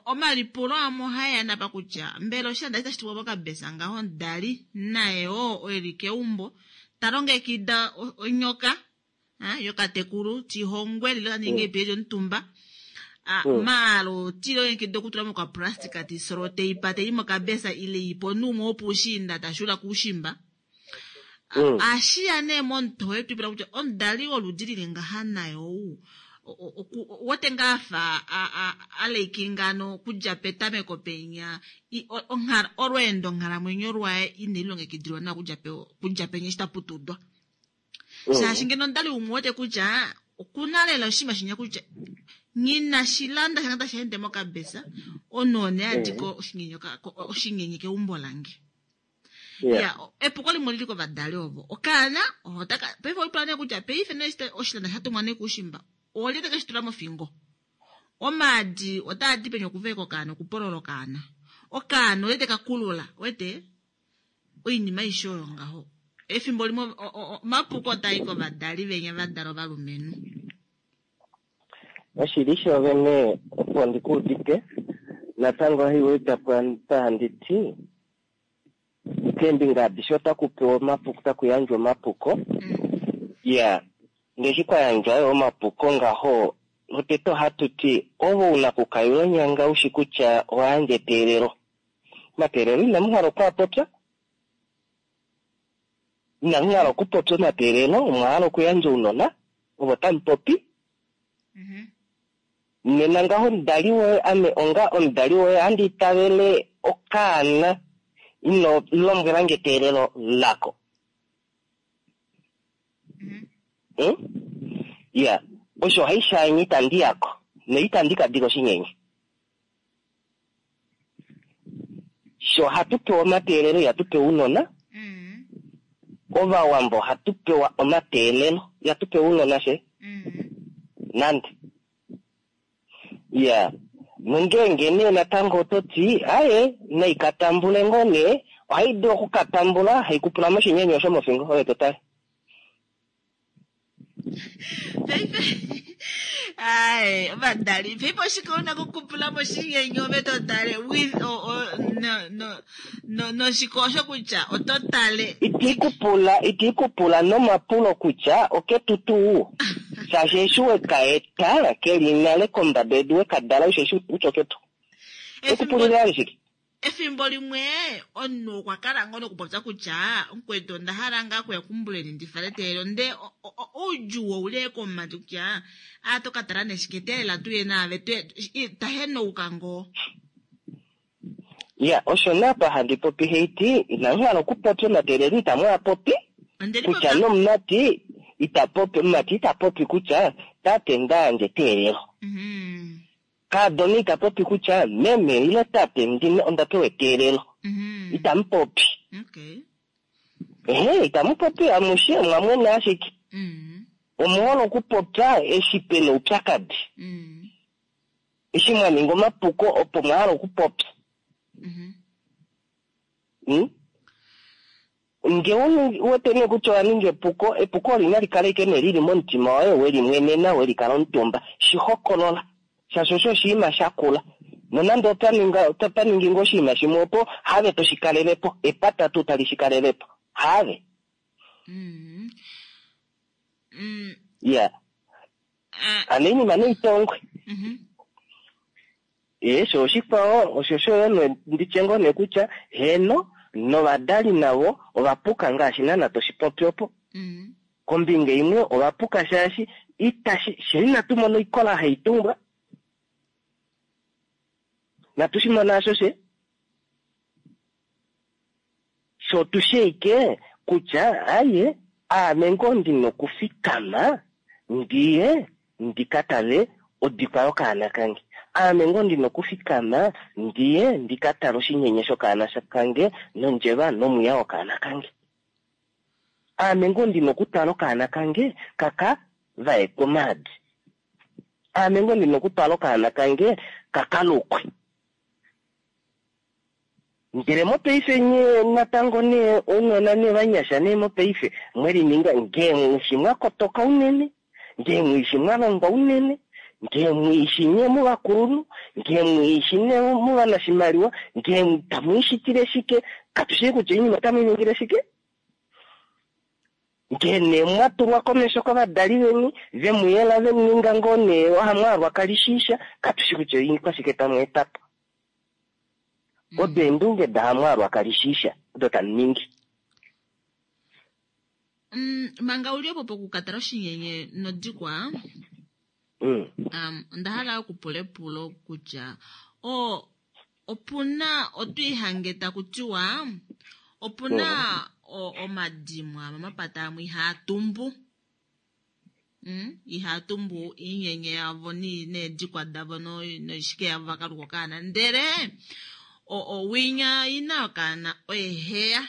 A: omalipulo amwe ohaeya napa kutya mbela oshilanda itashi tumwa mokabesa ngaho omudali naye oo eli keumbo ta longekida onyoka yokatekulu tihongwe lilo ninge epiye lyomutumba maalo tilongekida okutula mokaplastika tisolo teipa tei mokabesa ile ipo nuumwe wopuushiinda tashula kuushimba. Ashiya nee momutoye twipula kutya omudali woludi lili ngaha naye ou wote ngaa afa aleikinga okudja petameko penya olweendo nghalamwenyo lwaye ine lilongekidilwa nawa kudja penya eshi taputudwa. Shaashi ngeno omudali umwe wete kutya okuna lela oshinima shinya kutya ngina shilanda shanga tashi ende mokabesa onoone adiko oshinyenye keumbo lange. Ya epuko limwe lili kovadali ovo okaana otaka paife oipula nee kutya paife nee oshilanda shatumwa nee kuushimba olye teke shitula mofingo omaadi otaa di peni okuveka okaana okupolola okaana okaana olye teka kulula wete oinima aishe oyo ngaho efimbo limwe omapuko otaa i kovadali venya vadala ovalumenhu.
C: Oshili shoovene opo ndikuudite natango haiweda pa handi ti keembinga adishe otaku pewa omapuko otaku yandjwa omapuko. Ya ngeshi kwa yandjwa yo omapuko ngaho lotete ohatu ti ovo una kukayula onyanga ushi kutya owa yandja eteelelo. Omateelelo inamu hala okwaapopya, inamu hala okupopya omateelelo, omwa hala okuyandja ounona ovo tamu popi. Nena ngaho omudali woye ame onga omudali woye ohandi itavele okaana ino lombwelange eteelelo lako. Ya osho haishaanye itandi yako noitandi kadika oshinyenye. Sho hatu pewa omateelelo ihatu pewa ounona. Ovawambo ohatu pewa omateelelo ihatu pewa ounona she nande. Ya nongeenge nee natango oto ti aye naikatambule ngoo nee ohai dulu okukatambula haikupula moshinyenye osho mofingo oyo totale.
A: Paife ai ovadali paife oshike una kukupula moshinyenye ove totale with no noshiko osho kutya oto tale
C: itiikupula nomapulo kutya oketu tuu shaashi eshi wekaeta keli nale kombada yedu wekadala ushe kutya oketu ekupulile alishike.
A: Efimbo limwe omunhu okwa kala ngoo nokupopya kutya mukwetu onda hala ngaa kuya kumbuleni ndifale teelelo nde oudjuu ouli komumati kutya a to ka tala neshike teelela tuye naave tahenouka ngoo.
C: Ya osho napa handi popi heiti inamu hala okupopya omateelelo itamu a popi kutya nomumati ita popi omumati ita popi kutya tate ndayandje eteelelo. Kaadona ita popi kutya meme ile tate ndine onda pewa eteelelo. Itamu popi. Ehe itamu popi amushe omwa mwena ashike. Omuhole okupopya eshi pena oupyakadi. Eshi mwa ninga omapuko opo mwa hala okupopya. Nge wete nee kutya owa ninga epuko, epuko oli nali kale ike nee lili momutima woye welimwenena welikala omutumba. Shihokolola. Shaashi osho oshinima shakula. Nonande otwa ningi ngoo oshinima shimwe opo have toshikalelepo, epata tuu tali shikalelepo. Have. Ya. Ano oinima neitongwe. Sho oshikwao osho sho nditye ngoo nee kutya heno novadali navo ovapuka ngaashi naana toshipopi opo. Kombinga imwe ovapuka shaashi itashi she inatu mona oikola haitumbwa. Natu shi mona asho she. Sho tusheike kutya aye aame ngoo ndina okufikama ndiye ndikatale odikwa yokaana kange. Aame ngoo ndina okufikama ndiye ndikatale oshinyenye shokaana kange nondjeva nomwiya wokaana kange. Aame ngoo ndina okutwala okaana kange kaka vaekwe omaadi. Aame ngoo ndina okutwala okaana kange kaka lukwe. Ndele mopaife nye natango nee ounona nee vanyasha nee mopaife mwe lininga ngee mwishi mwa kotoka unene, ngee mwishi mwa longwa unene, ngee mwishi nye muvakulunhu, ngee mwishi nye muvanashimaliwa, ngee tamu ishitile shike, katu shii kutya oinima otamu i ningile shike. Ngee nee mwa tulwa komesho kovadali veni, ve mu yela ve mu ninga ngoo nee ohamwaalwa kalishiisha, katu shi kutya oikwashike tamu eta po. Odo eendunge dahamwaalwa kalishiisha odo tamu ningi.
G: Manga u li opo pokukatala oshinyenye nodikwa, onda hala okupula epulo kutya o opuna otwiihange taku tiwa opuna omadimo amwe omapata amwe ihaa tumbu. Ihaa tumbu iinyenye yavo needikwa davo noishike yavo va ka luka okaana. Ndele owinya ina yokaana oye heya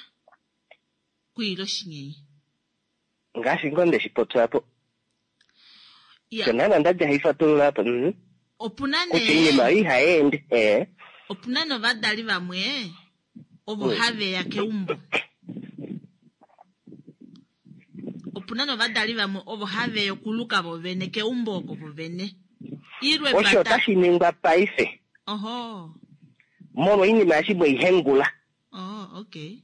G: kwiila oshinyenye.
C: Ngaashi ngoo nde shi popya po. Sho naana nda dja haifatulula apa.
G: Opuna
C: nee. Kutya oinima oyo ihai ende. Eh.
G: Opuna novadali vamwe ovo have ya keumbo. Opuna novadali vamwe ovo have ya okuluka vo vene keumbo oko vo vene. Ilwe
C: Osho otashi ningwa paife.
G: Oho.
C: Molwa oinima eshi mwei hengula.
G: Oh, okay.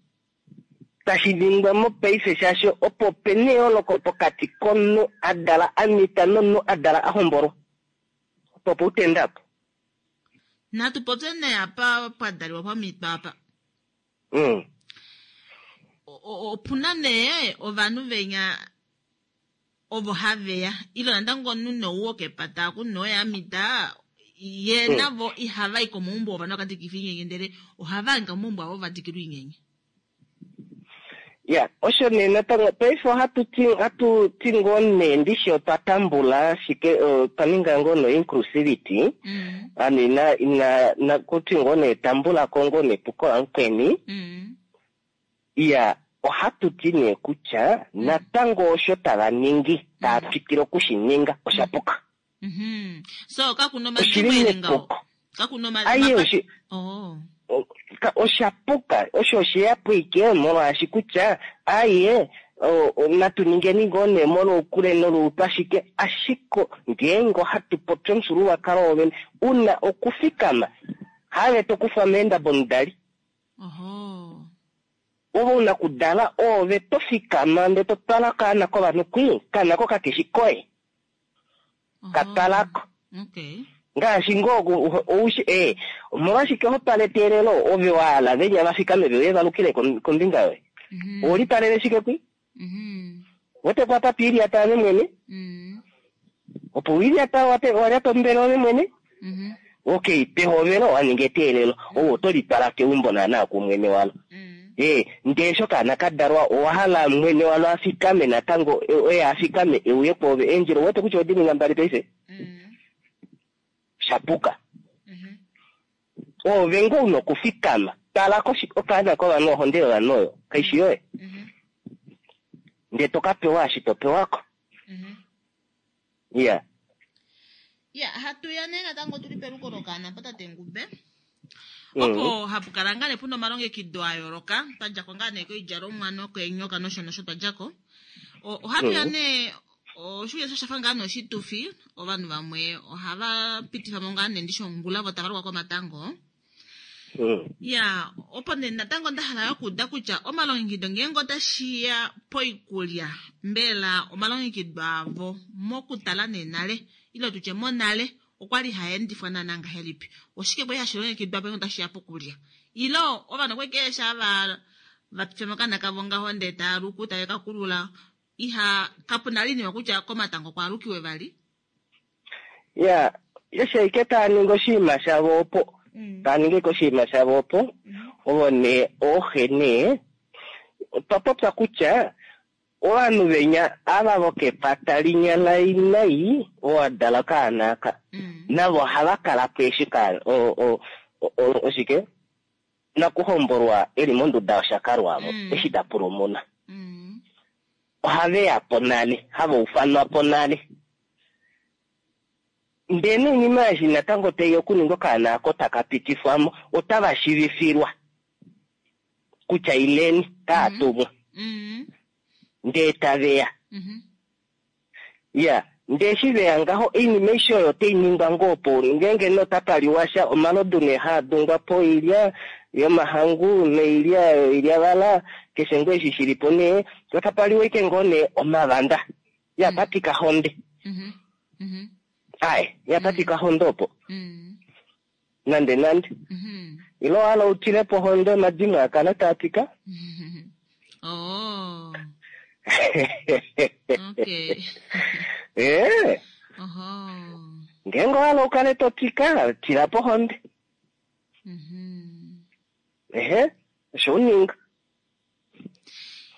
C: Tashi ningwa mopaife shaashi opo pena eyooloko pokati komunhu a dala a mita nomunhu a dala a hombolwa. Opo poutenda apo.
G: Natu popye nee apa pwa daliwa pwa mitwa apa. Opuna nee ovanhu venya ovo have ya ile natango omunhu nee ou wokepata aku nee oye a mita ye navo ihava i komaumbo ovanhu vaka dikifa iinyenye ndele ohava hangika momaumbo avo va dikilwa iinyenye.
C: Ya, osho nee natango paife ohatu ti ohatu ti ngoo nee ndishi otwa tambula ashike otwa ninga ngoo no inclusivity ano ina ina nakuti ngoo nee tambula ko ngoo nepuko lamukweni. Iya, ohatu ti nee kutya natango osho tava ningi, tava twikile oku shi ninga, osha puka.
G: So, kaku na
C: Oshi
G: omadimo
C: li
G: e li ngaho?
C: mepuko.
G: Kaku na
C: Aye,
G: omapa-
C: oshi-
G: Oh.
C: Osha puka. Osho oshe ya po ike molwaashi kutya, aye, natu ningeni ngoo nee molwoukule nolwoupashike, ashike ngeenge ohatu popi omufyuululwakalo wovene, u na okufikama, haave to kufwa meendabo omudali.
G: Oho.
C: Ove u na okudala, oove to fikama ndee to twala okaana kovanhu kwii, okaana ko kakeshi koye. Ka twala ko.
G: Okay.
C: Ngaashi ngoo oushi, ee, omolwashike ho twala eteelelo ove wa hala venya va fikame ve uye va lukile kombinga yoye? Oho li twalele shike kwii? Wete po apa twiilyata ove mwene? Opo wiilyata wa lyata ombele ove mwene? Okay, pehovelo owa ninga eteelelo, ou oto li twala keumbo naanaa kumwene walo. Ee, ndee eshi okaana ka dalwa owa hala mwene walo a fikame natango, oye a fikame e uye kwoove. Eendjila ou wete kutya odi ninga mbali paife? Sha puka. Oove ngoo una okufikama. Tala ko okaana kovanhu, ohonde yovanhu oyo, kai shi yoye. Ndee to ka pewa eshi to pewa ko. Iya.
G: Ya, hatu ya nee natango tu li peluko lokaana pa tate Ngube. Opo hapu kala ngaa nee puna omalongekido a yooloka, twa dja ko ngaa nee koidjalomwa nokeenyoka nosho nosho twa dja ko. Ohatu ya nee oshiuya sha fa ngaa nee oshitufi, ovanhu vamwe ohava pitifa mo ngaa nee ndishi ongula vo tava lukwa komatango. Ya, opo nee natango nda hala okuuda kutya omalongekido ngeenge otashi ya poikulya, mbela omalongekido avo mokutala nee nale, ile tutye monale, okwa li haa endifwa naanaa ngahelipi? Oshike kwali hashi longekidwa ngeenge otashi ya pokulya? Ile ovanhu okwali keshe ava va pitifa mokana kavo ngaho ndee taa luku, tave ka kulula, iha, kapu na oinima kutya komatango kwaalukiwe vali?
C: Ya, eshi ashike tava ningi oshinima shavo opo, tava ningi ashike oshinima shavo opo, ovo nee ooxe nee, otwa popya kutya ovanhu venya ava vokepata linya lainai oo a dala okaana aka, navo ohava kala po eshi ka, o, o, o, oshike, nakuhombolwa e li monduda yoshakalwa amo, eshi ta pulumuna. Ohave ya po nale, hava ufanwa po nale. Ndele noinima eshi natango tai okuningwa okaana ako taka pitifwa mo, otava shivifilwa kutya ileni, taa tumwa. Ndee tave ya. Ya, ndee eshi ve ya ngaho, oinima aishe oyo otai ningwa ngoo opo ngeenge nee otapa liwa sha, omalodu nee haa dungwa po oilya yomahangu noilya yoilyavala, keshe ngoo eshi shili po nee, otapa liwa ashike ngoo nee omavanda. Ya, pa tika honde. Aye, ya pa tika honde opo. Nande nande. Ile owa hala u tile po honde omadimo a kala taa tika?
G: Oh. Okay.
C: Eh.
G: Oho.
C: Ngeenge owa hala u kale to tika, tila po honde. Ehe, osho u ninga.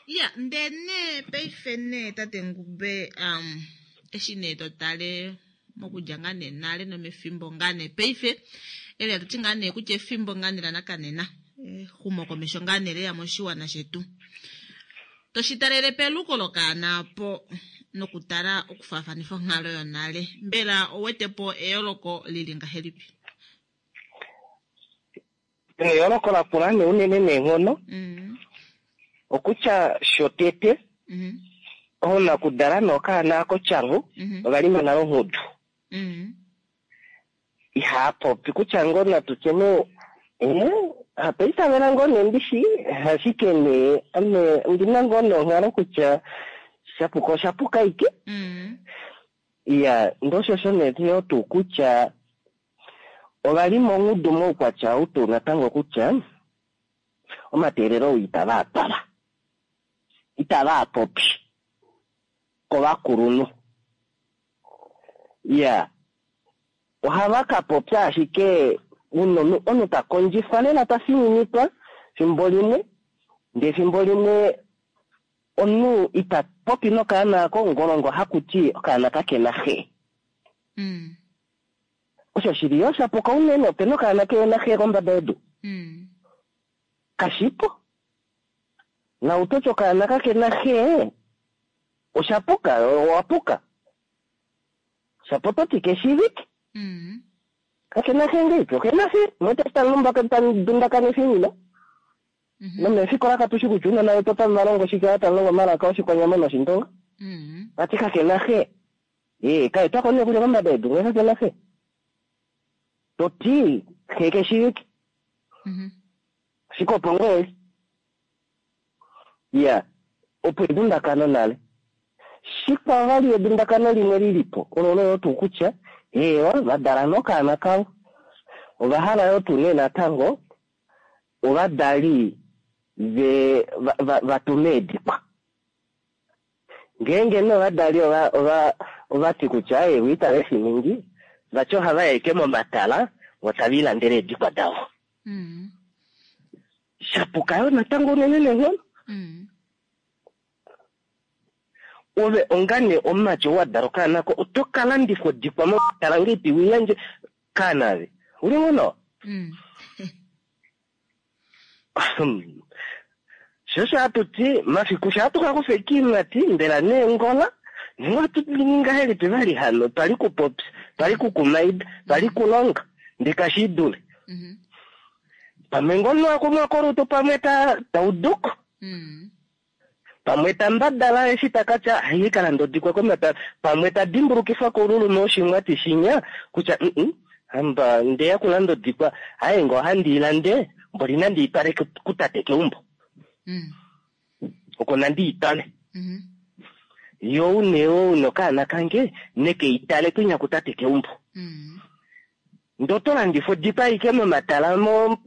G: Ya, ndele nee paife nee tate Ngube, eshi nee to tale mokudja ngaa nee nale nomefimbo ngaa nee paife, eli hatu ti ngaa nee kutya efimbo ngaa nee lanakanena, exumokomesho ngaa nee leya moshiwana shetu. To shi talele peluko lokaana apo nokutala okufaafanifa onghalo yonale, mbela ouwete po eyooloko lili ngahelipi?
C: Eyooloko lakula nee unene neenghono, okutya shotete, oonakudala nokaana ako tyangu, ova lima nale onghudu. Ihaa popi kutya ngoo natu tye nee, apa itavela ngoo nee ndishi, ashike nee, ame ondina ngoo nee onghalo kutya shapuka oshapuka aike. Iya, ndee osho osho nee yo tuu kutya ova li mongudu moukwatya ou tuu natango kutya omateelelo ou itava a twala, itava a popi kovakulunhu. Iya, ohava ka popya ashike omunhu ta kondjifwa lela ta fininikwa fimbo limwe, ndee fimbo limwe omunhu ita popi nokaana ako ngolongo haku ti okaana kakena xe. Osho shili yo shapuka unene, opena okaana kehena xe kombada yedu. Kashipo. Na utoti okaana kakena xe, oshapuka, owapuka. Shapototi keshivike. Kakena xe ngeipi, okena xe. Mwete talumba tandundakanifa oinima. Nomefikola katushi kutya ounona vetu otava valongo shike, otava longo omalaka oshikwanyama noshindonga. Vati kakena xe. Kaetwako nee kutya kombada yedu ngee kakena xe. Toti xe keshivike. Ashike opo ngoo eli. Ya, opo edundakano nale. Shikwao vali edundakano limwe lilipo, olo olo tuu kutya, eewa, vadala nokaana kavo. Ova hala yo tuu nee natango, ovadali ve vatume eedikwa. Ngeenge nee ovadali ova ti kutya, eewa, itave shi ningi, vati ohava ya ashike momatala, vo tave lilandele eedikwa davo. Shapuka yo natango unene neenghono. Ove ongane omumati ou wa dala okaana ko, oto ka landifwa odikwa momatala ngeipi wiyandje kaana ave. Uli ngoo nawa? Sho osho hatu ti, mafiku sho hatu ka kufa ekiimati, mbela neengola, nenge ohatu ningi ngahelipi vali hano, twali kupopya, twali kukumaida, twali kulonga, ndee kashi idule. Pamwe ngoo omunhu akumwa kolutu pamwe tauduko. Pamwe ta mbadala eshi ta ka tya, ai, ka landa odikwa komatala. Pamwe ta dimbulukifwa koululume woshimwati shinya, kutya, hamba, ndeya kulanda odikwa, aye ngoo ohandi i lande, mboli nandi i twale kutate keumbo. Oko nandi i twale. Yo une ou nokaana kange, neke i tale kwinya kutate keumbo. Ndee oto landifa odikwa aike momatala mo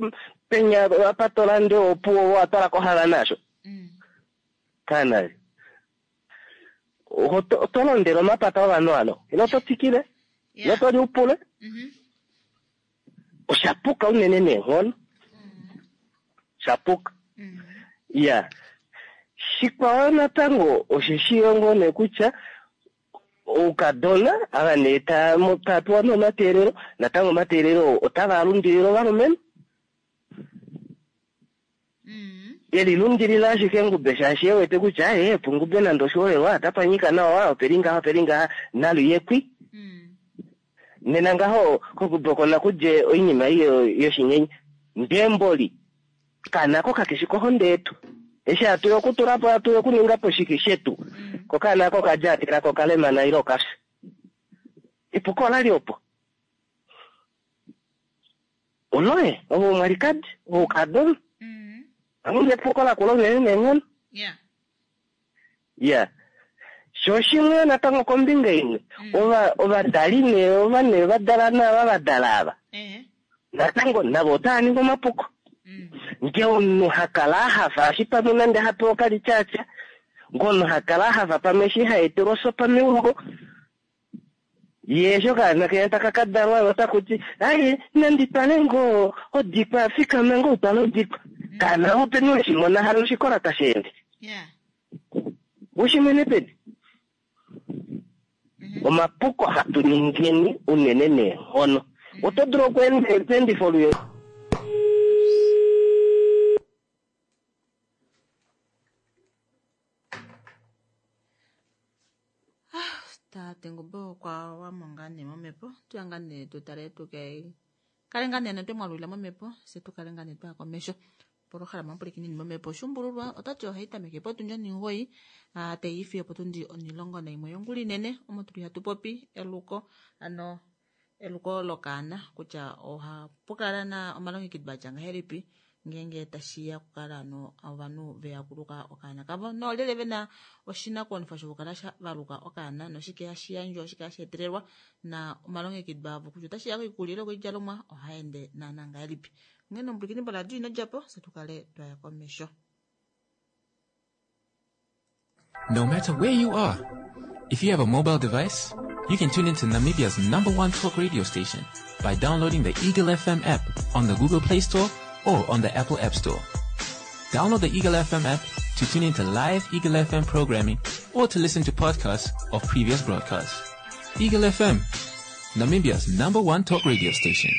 C: penya apa to lande opuwo wa twala kohala naasho. Kaana, oto londele omapata ovanhu alo, ile oto tsikile, ile oto liupule. Oshapuka unene neenghono. Shapuka. Ya. Shikwao natango osheshi yo ngoo nee kutya oukadona ava nee taa pewa nee omateelelo, natango omateelelo otava lundilile ovalumenhu. Elilundilila ashike Ngube shaashi e wete kutya ee puNgube nande oshiholelwa otapa nyika nawa opeli ngaha opeli ngaha naluyekwi. Nena ngaho koNgube oko nakudje oinima ei yoshinyenye. Ndee mboli kaana ko kakeshi kohonde yetu. Eshi hatu ya okutula po hatu ya okuninga po shike shetu. Ko kaana ko kalyatela ko kalemana ile okafya. Epuko olali opo. Oloye ove omwalikadi ove oukadona. Amunge epuko lakula unene neenghono.
G: Yeah.
C: Ya. Sho shimwe natango kombinga imwe ovadali nee ova nee vadala naava vadala ava. Natango navo otava ningi omapuko. Ngee omunhu hakala ahafa eshi pamwe nande hapewa okalityatya, ngee omunhu hakala ahafa pamwe eshi haetelwa osopa meumbo, ye eshi okaana kenya taka ka dalwa otaku ti aye nandi twale ngoo odikwa fikama ngoo utwale odikwa. Kaana openi weshimona hano oshikola tashi ende.
G: Yeah.
C: Ushimwene peni? Omapuko hatu ningeni unene neenghono. Oto dulu okweendifa oluye.
G: Tate Ngube okwa wamo ngaa nee momhepo tuya ngaa nee tutale tuke kale ngaa nee twe mwalulila momhepo se tukale ngaa nee twaya komesho polohalama omupulikinini momhepo Shumbululwa otati ohayi tameke potundi 9 teifi opotundi 11 yongula inene omo tuli hatu popi eluko ano eluko lokaana kutya ohapu kala na omalongekido atya ngahelipi ngeenge tashiya okukala ano ovanhu veya okuluka okaana kavo noolyelye vena oshinakuwanifwa shokukala valuka okaana noshike hashi yandjwa oshike hashi etelelwa na omalongekido avo kutya otashiya koikulya ile koidjalomwa ohaende naana ngahelipi. Onghee nomupulikini boradio ino djapo se tukale twaya komesho.
H: No matter where you are, if you have a mobile device, you can tune into Namibia's #1 talk radio station by downloading the Eagle FM app on the Google Play Store or on the Apple App Store. Download the Eagle FM app to tune into live Eagle FM programming or to listen to podcasts of previous broadcasts. Eagle FM, Namibia's #1 talk radio station.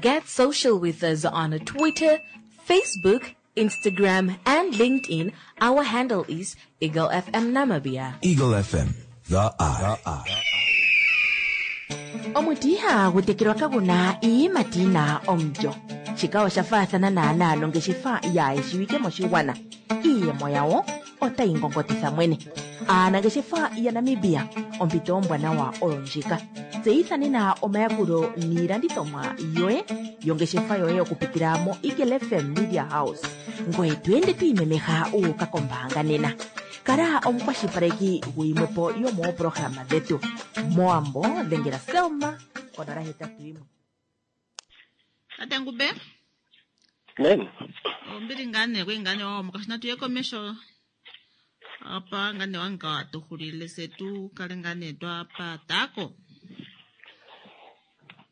B: Get social with us on Twitter, Facebook, Instagram, and LinkedIn. Our handle is Eagle FM Namibia.
I: Eagle FM, the eye.
B: Omuti ihagu tekelwa kaguna iiyimati yina omulyo. Shika osha faathana naanaa nongeshefa yaayeshiwike moshigwana. Iiyemo yawo otayi ngongotitha mwene. Aanangeshefa yaNamibia, ompito ombwanawa oyo ndjika. Tseyitha nena omayakulo niilandithomwa yoye yongeshefa yoye okupitila mo Eagle FM Media House. Ngoye to ende to imemeha u uka kombaanga nena. Kala omukwashilipaleki guyimwepo yomoopolohalama dhetu. Mowambo dhengela Selma konola hetatu yimwe.
G: Tate Ngube?
C: Nem.
G: Ombili ngaa nee kwei ngaa nee wahomoka shi natu ye komesho apa ngaa nee wanga watuxulile se tu kale ngaa nee twapatako.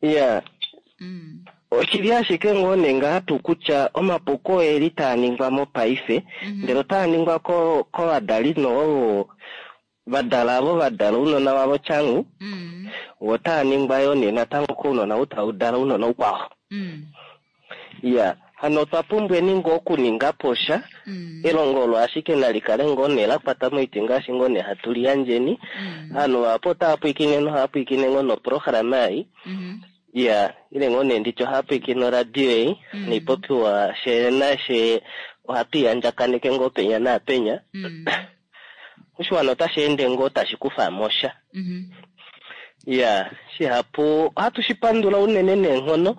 C: Ya. Oshili ashike ngoo nee ngaa tuu kutya omapuko oeli taa ningwa mopaife, ndele otaa ningwa kovadali noo vadala avo vadala ounona vavo tyangu, otaa ningwa yoo nee natango kounona ou tau dala ounona oukwao. Ya, hano otwa pumbweni ngoo okuninga po sha, elongo olo ashike nali kale ngoo nee la kwata moiti ngaashi ngoo nee hatu li yandjeni. Ovanhu vahapu otava pwiikine nohava pwiikine ngoo noprograma ei. Ya, ile ngoo nee nditye ohava pwiikine oradio ei, noipopiwa she nashe ohatu i yandjakaneke ngoo penya naapenya. Oshiwana otashi ende ngoo tashi kufa mo sha. Ya, shihapu ohatu shi pandula unene neenghono.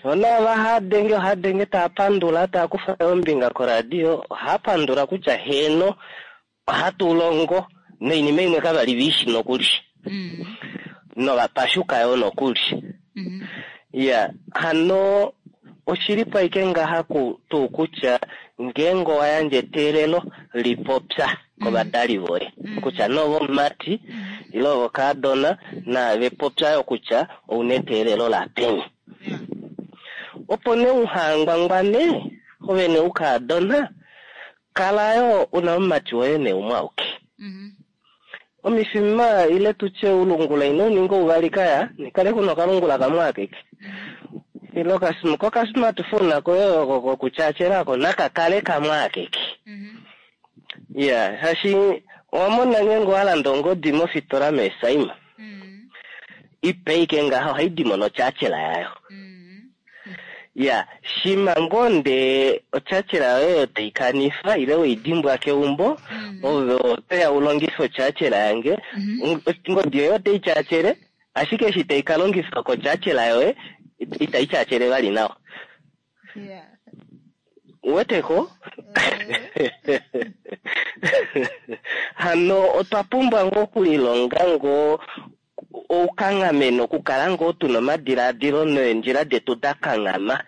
C: Shona ava hava denge, ohava denge tava pandula, tava kufa ombinga koradio, ohava pandula kutya heeno ohatu longo noinima imwe kava li ve i shi nokuli. Novapashuka yo nokuli. Ya, hano oshili po ashike ngaha tuu kutya ngeenge owa yandja eteelelo lipopya kovadali voye kutya novomumati ile ovokaadona naave popya yo kutya ouna eteelelo lapeni. Opo nee uhangwangwane ove nee ukaadona kala yo una omumati woye nee umwe auke. Omifima ile tutye ulungula ino ninga uvali kaya nikale kuna okalungula kamwe akeke. Ile kokasmartphone koye oko kokutyatyela ko naka kale kamwe akeke. Ya, shaashi owa mona ngeenge owa landa ongodi mofitola meesaima, ipe ike ngaha ohai dimo notyatyela yayo. Ya, shima ngoo ndee otyatyela yoye oyo tai kanifa ile weidimbwa keumbo, ove otoya u longife otyatyela yange, ongodi yoye otai tyatyele, ashike eshi tai ka longifwa kotyatyela yoye itai tyatyele vali nawa. Uweteko? Hano otwa pumbwa ngoo okulilonga ngoo oukanghameno, okukala ngoo tuna omadilaadilo neendjila detu da kanghama.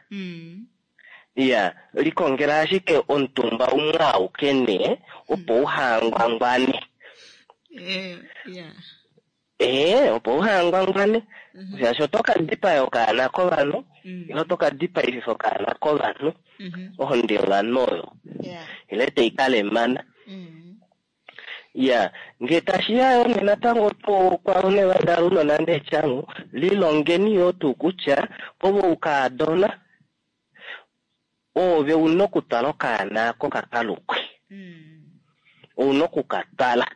C: Iya, likongela ashike omutumba umwe auke nee, opo uhangwangwane. Ee, opo uhangwangwane. Shaashi oto ka dipaya okaana kovanhu, ile oto ka dipaififa okaana kovanhu, ohonde yovanhu oyo. Ile tai ka lemana. Ya, nge tashi ya yo nee natango tuu kwavo nee vadala ounona neetyangu, lilongeni yoo tuu kutya ove oukadona, oove una okutwala okaana ako ka kalukwe. Ouna oku ka twala.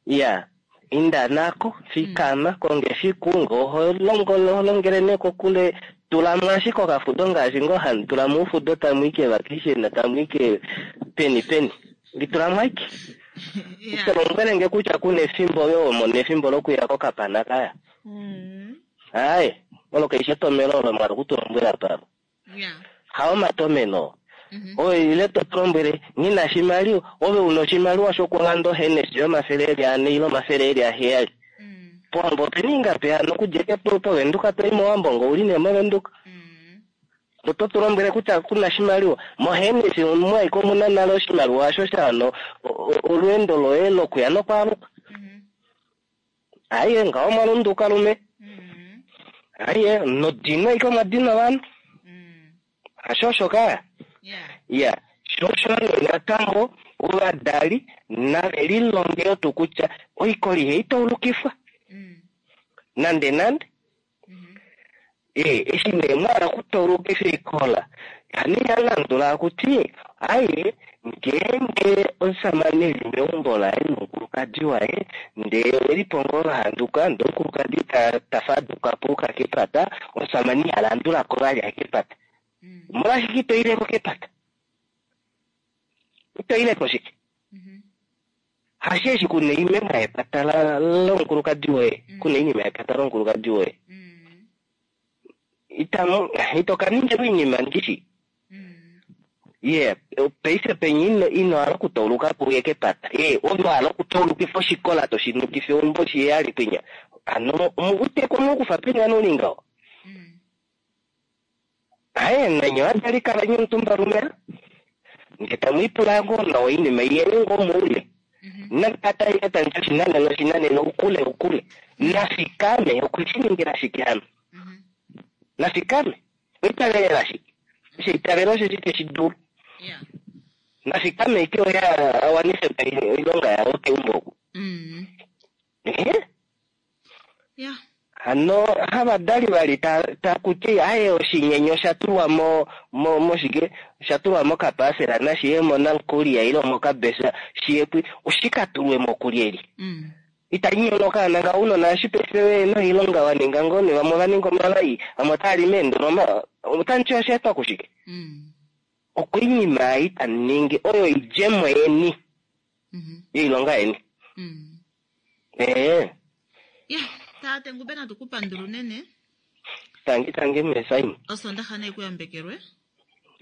C: Ya, inda nako, fikama, konga efiku, nge oho longo, oho longele nee kokule, tula mo ashike okafudo ngaashi ngoo hamu tula mo oufudo tamu i kevacation, tamu i ke peni peni. Litula mo ashike. Ito lombwele nge kutya kuna efimbo ove ho mono efimbo lokuya kokapana kaya. Aaye, olo kaishi etomelo olo mwa hala oku tu lombwela palo. Hao omatomeno. Ove ile to tu lombwele nghi na oshimaliwa, ove una oshimaliwa shokulanda oHennessy yomafele eli ane ile omafele eli aheyali. Powambo opena ingapi hano okudja eke poVenduka to i mOwambo nge ouli nee moVenduka. Oto tu lombwele kutya kuna oshimaliwa. MoHennessy omu ashike omuna nale oshimaliwa osho sha wana olweendo loye lokuya nokwaaluka. Aiye ngaho mwa lunduka lume. Aiye nodino ashike omwa dina ovanhu. Hasho osho kaya? Ya, sho osho nee natango ovadali nave lilonge yo tuu kutya oikoli ihai taulukifwa nande nande. Ee, eshi nee mwa hala okutaulukifa oikola, hano iha landula akuti, aye, ngeenge omusamane e li meumbo laye nomukulukadi waye, ndee ove li po ngoo va handuka, ndee omukulukadi ta faduka po uka kepata, omusamane iha landula ko vali aye kepata. Omolwashike ito ile ko kepata? Ito ile ko shike? Hasheeshi kuna oimema yepata lomukulukadi woye, kuna oinima yepata lomukulukadi woye. Itamu, ito ka ningilwa oinima ndishi. Ye, paife penya ino hala okutauluka po uye kepata. Ye, ove wa hala okutaulukifa oshikola to shi nukifa eumbo shiheyali kwinya. Hano, omuuteko omukufa peni hano uli ngaho? Aye, nanye ovadali kaleni omutumba lumela, nge tamu ipula ngoo nawa oinima iyeni ngoo moule. Nakata ike tandi oshinanena oshinanena oukule oukule. Nafikame okwe shi ningila shike hano? Nafikame okwa itavelela shike? Osho eitavelo osheshi te shi dulu. Nafikame ike oye a wanife po oilonga yaye keumbo oku. Ehe. Hano havadali vali taku ti aye oshinyenye osha tulwa mo, mo, moshike, osha tulwa mokapasela nashi ye monamkulia ile mokabesa shi ye kwi, oshi ka tulwe mo kulyelye? Ita nyono okaana ngaho ounona eshi paife ve na oilonga wa ninga ngoo nee vamwe ova ninga omalai vamwe otava li meendoloma otamu ti osha etwa kushike? Okoinima ei tamu ningi oyo oidjemo yeni yoilonga yeni. Ee.
G: Ya, tate Ngube natu ku pandula unene.
C: Tangi tangi Mesaim.
G: Osondaxa nayi ku yambekelwe.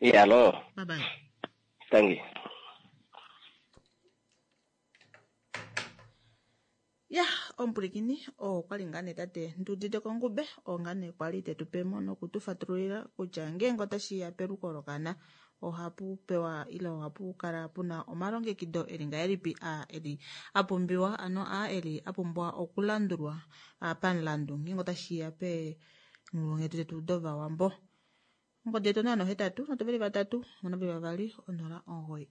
C: Iyalo.
G: Bye bye.
C: Tangi.
G: Ya, omupwilikini oo okwa li ngaa nee tate Nduuditeko Ngube, oo ngaa nee kwali te tu pe mo noku tu fatululila kutya ngeenge otashi ya peluko lokana ohapu pewa ile ohapu kala pu na omalongekido e li ngahelipi a eli a pumbiwa ano a eli a pumbwa okulandulwa pamulandu ngeenge otashi ya peenghulunghedi detu dOvawambo. Ongodi yetu 083 3 2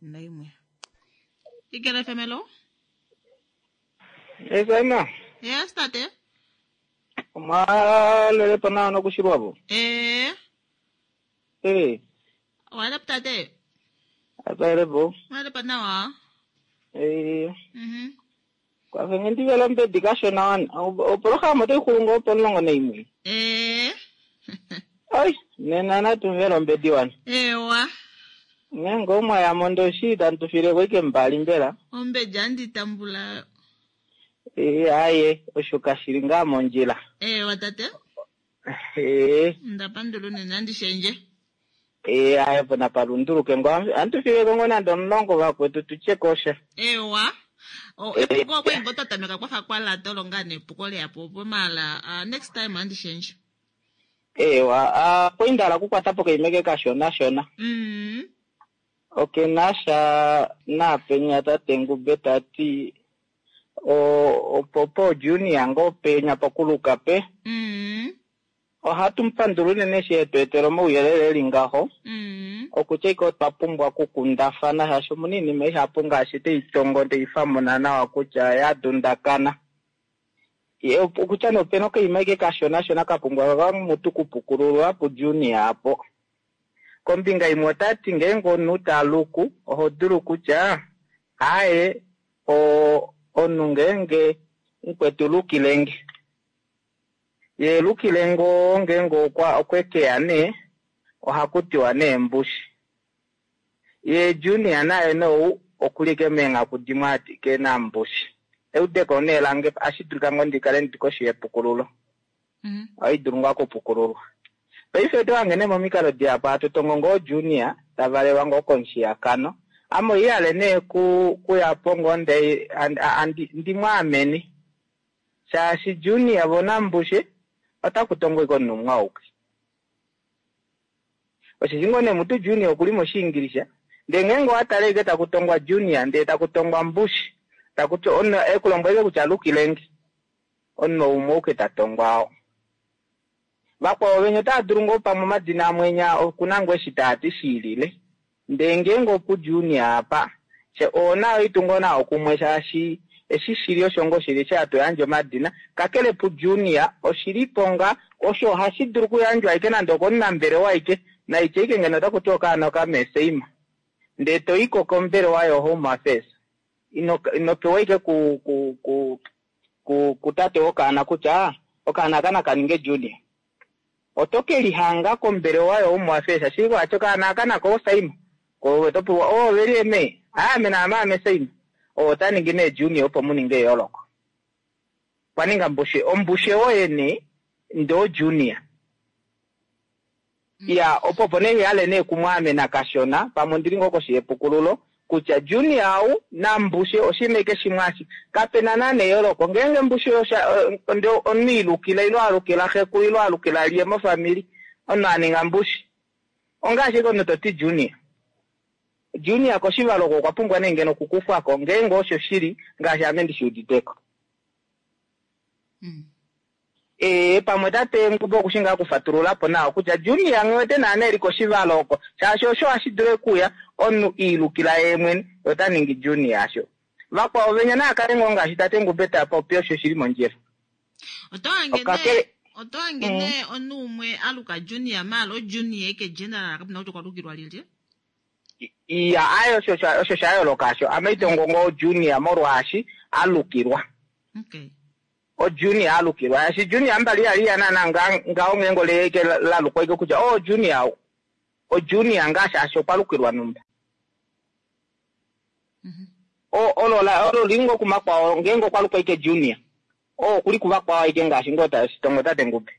G: 091. Igele FM, hello.
J: Yes, Emma.
G: Yes, tate.
J: Omwalelepo nawa nokushilwapo.
G: Ee,
J: Eh,
G: owalepo tate?
J: atwalepo.
G: Mwalepo nawa?
J: Eh,
G: Mhm.
J: kwafenge ndivela ombedi kashona wana. Opolohalama otayi xulu ngoo pomulongo naimwe.
G: Ee,
J: Ai, nena natumvela ombedi wana.
G: ewa.
J: Nenge omwaya mondoshi tamu tufileko ike mbali mbela.
G: Ombedi andi tambula.
J: Eh, aye, osho kashili ngaa mondjila.
G: Ewa tate.
J: Eh,
G: Ndapandula unene andishendje.
J: eh, aye pona palunduluke ngo antufileko ngo nande omulongo vakwetu tutye kosha.
G: Ewa. O, epuko okwe ngo twatameka kwafa kwalata olo ngaa nepuko leyapo opo mala ah, next time andishendje.
J: Ewa, ah, kwindala kukwatapo kaimeke kashona shona.
G: Mm.
J: Okenasha napenya tate Ngube tati o opopo junior ngo penya pokuluka pe
G: Mm.
J: ohatu mupandula unene eshi etu etela omauyelele eli ngaho
G: Mm.
J: okutya ike otwa pumbwa okukundafana shaashi omuna iinima ihapu ngaashi teitongo teifamuna nawa kutya ya dundakana Ye, okutya nee opena okaima ike kashonashona kapumbwa kamutu kupukululwa pujunior apo kombinga imwe otati ngeenge omunhu taluku oho dulu kutya aye o omunhu ngeenge mukwetu lukilenge ye lukile ngoo ngeenge okwa okwekeya nee ohakutiwa nee mbushi ye junior naye nou okulike meenghaku dimwe ati kena mbushi eudeko nee lange ashi dulika ngoo ndikale ndili koshi yepukululo ohai dulu ngoo okupukululwa paife oto hange nee momikalo dihapu hatu tongo ngoo junior tavalelwa ngoo komushiyakano ame oihale nee ku kuyapo ngoo nde ndimwaamene shaashi junior vonambushe otaku tongo ike omunhu umwe auke osheshi ngoo nee mutu junior okuli moshiingilisha ndee ngeenge owatale ike taku tongwa junior ndee taku tongwa mbushi takuti omunhu ekulombwele kutya lukilenge omunhu umwe auke tatongwa oo vakwao venya otava dulu ngoo pamwe omadina amwe enya okuna ngoo eshi taati shiilile ndee ngeenge opu junior apa oona oitu ngoo nawa kumwe shaashi eshi shili osho ngoo shili eshi hatu yandje omadina kakele pu junior oshilipo nga osho ohashi dulu okuyandjwa aike nande okomunambelewa aike naitya ike ngeno otaku ti okaana okameseima ndee toiko kombelewa yo home affairs ino ino pewa ike ku ku ku ku kutate wokaana kutya okaana aka nakaninge junior oto ke lihanga kombelewa yo home affairs ashike kwati okaana aka nako osaima ko oto pewa oo veli eme aame naame ame saima oo ota ningi nee junior opo muninge eyooloko kwaninga mbushe ombushe woye nee ndoo junior ya opo opo nee yale nee kumwaamena kashona pamwe ondili ngoo koshi yepukululo kutya junior au nambushe oshinima ike shimwe ashi kapena naana eyooloko ngeenge mbushe nde omunhu ilukila ilo alukila xekulu ilo alukila liye mofamili omunhu aninga mbushe ongaashi ike omunhu toti junior junior koshivalo oko okwa pumbwa nee ngeno okukufwako ngeenge osho shili ngaashi ame ndishiuditeko ee pamwe tate Ngube okushi ngaa okufatululapo nawa kutya junior nghiwete naana eli koshivalo oko shaashi osho hashi dulu okuya omunhu iilukila yee mwene ota ningi junior asho vakwao venya naakale ngoo ngaashi tate Ngube tapopi osho shili mondjila
G: Oto hange
J: Okakele-
G: nee oto hange nee omunhu umwe aluka junior maala ojunior eke general kapena kutya okwa lukilwa lilye.
J: Iya aye osho osho shayooloka asho ame itongo ngoo junior molwaashi alukilwa
G: Okay.
J: o junior alukilwa ashi junior mbali yali yanana nga ngawo ngeenge leke lalukwa ike kutya o junior o junior ngaashi asho okwa lukilwa numba o olo la olo lingo kumakwao ngeenge okwa lukwa ike junior o okuli kuvakwao aike ngaashi ngoo tashitongo tate Ngube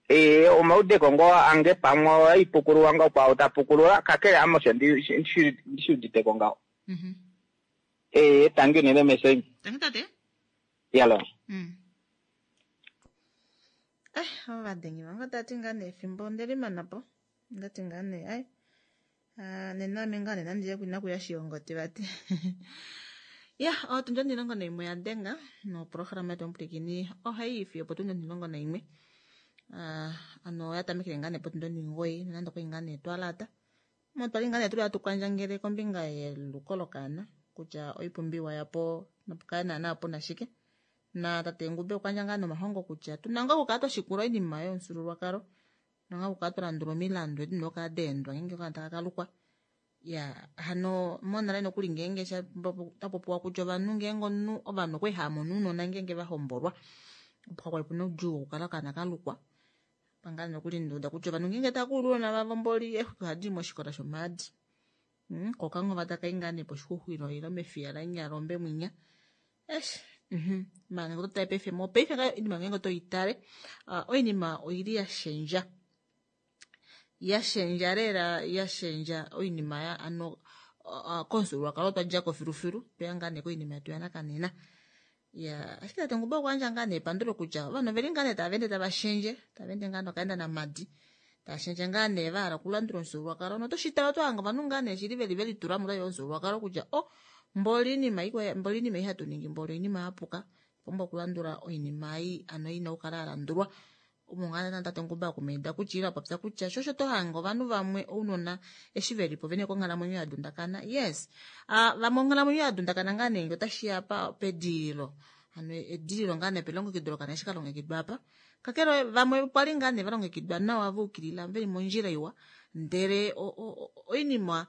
J: ee omaudeko ngoo ange pamwe oipukululwa ngoo kwao tapukulula kakele ame osho ndishiuditeko ngaho ee tangi unene mesemi
G: Tangi tate.
J: yalo
A: Eh, ovadengi vange otati ngaa nee efimbo ondelimana po ondati ngaa nee ai Ah, nena ame ngaa nena ndiye inakuya shiyongoti vati ya otundi 11 ya denga noprograma yetu omupulikini ohayi ifi opo tundi 11 Ah, ano oya tamekele ngaa nee potundi 9 nonande okwali ngaa nee twalata mo twali ngaa nee tuli hatu kwandjangele kombinga yeluko lokaana kutya oipumbiwa yapo nopukale naana puna shike.
G: Na tate Ngube okwa ndja ngaa nomahongo kutya tuna ngaa okukala twa shikula oinima yomufyuululwakalo, tuna ngaa okukala twa landula omilandu edi dina okukala daendwa ngeenge okaana taka kalukwa. Ya hano monale nokuli ngeenge tapopiwa kutya ovanhu ngeenge omunhu ovanhu okwali hava mono ounona ngeenge vahombolwa, opo kakwali puna oudjuu wokukala okaana kalukwa. Pangale nokuli ndauda kutya ovanhu ngeenge tava kuulu ounona vavo mboli eexwiki ohadi moshikola shomaadi. Ko okanghova taka i ngaa nee poshixuxwilo ile mefiya lanyalombe mwinya. Eish, maala ngenge oto tale paife mopaife ngaa oinima ngeenge oto i tale, oinima oili ya shendja. Ya shendja lela, ya shendja oinima ya ano komufyuululwakalo twa djako filufilu, tweya ngaa nee koinima yetu yanakanena. Ya, ashike tate Ngube okwa yandja ngaa nee epandulo kutya ovanhu oveli ngaa nee tava ende tava shendje, tava ende ngaa nokaenda namadi, tava shendje ngaa nee va hala okulandula omufyuululwakalo. Noto shi tale oto hanga ovanhu ngaa nee shili veli velitula mo omufyuululwakalo kutya oh, mboli oinima ikwe, mboli oinima ei hatu ningi, mboli oinima ya puka, pumbwa okulandula oinima ei ano ina okukala ya landulwa. Omo ngaa tate Ngube akumaida kutya ile apopya kutya sho osho to hanga ovanhu vamwe ounona eshi velipo vene konghalamwenyo ya dundakana. Yes, vamwe onghalamwenyo ya dundakana ngaa nee otashi ya pa pedililo, ano edililo ngaa nee pelongekido lokana eshi ka longekidwa apa. Kakele vamwe okwa li ngaa nee va longekidwa nawa va ukilila veli mondjila iwa, ndele oinima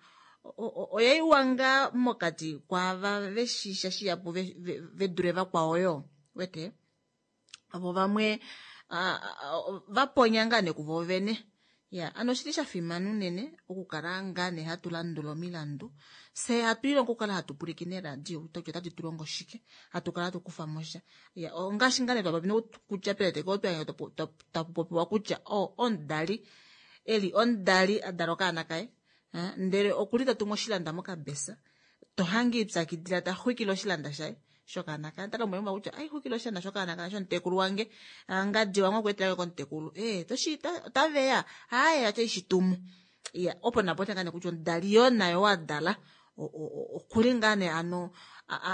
G: oyaiwa ngaa mokati kwaava veshisha shihapu ve dule vakwao yo wete ovo vamwe vaponya ngaa nee kuvo vene. Ya, ano oshili sha fimana unene okukala ngaa nee hatu landula omilandu, fye hatu ilongo okukala hatu pwilikine eradio kutya otadi tu longo shike, hatu kala hatu kufa mo sha. Ya, ongaashi ngaa nee twa popi kutya peleteko tapu popiwa kutya omudali eli omudali a dala okaana kaye, ndele okuli ta tumu oshilanda mokabesa, to hange ipyakidila ta xwikile oshilanda shaye shokaana kaye. Ota lombwele kutya ai xwikile oshilanda shokaana kaye shomutekulu wange, ngadi wange okweetela komutekulu, toshi otaveya haye atya ishitumu. Ya, opo napo ngaa nee kutya omudali yoo nayo wa dala okuli ngaa nee ano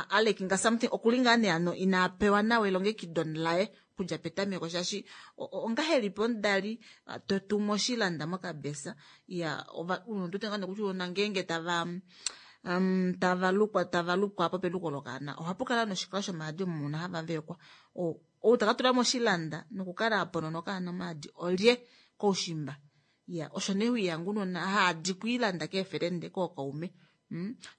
G: alekinga something, okuli ngaa nee ano ina pewa nawa elongekido laye okudja petameko, shaashi ongahelipi omudali to tumu oshilanda mokabesa. Ya, unene ngaa nee kutya uunona ngeenge tava tavalukwa lukwa apo peluko lokaana, ohapu kala noshikola shomaadi omo muna hava vekwa. Ou taka tula moshilanda nokukala aponona okaana omaadi olye koushimba. Ya, osho nee wiihanga unona haadi kwiilanda keefelende kookaume.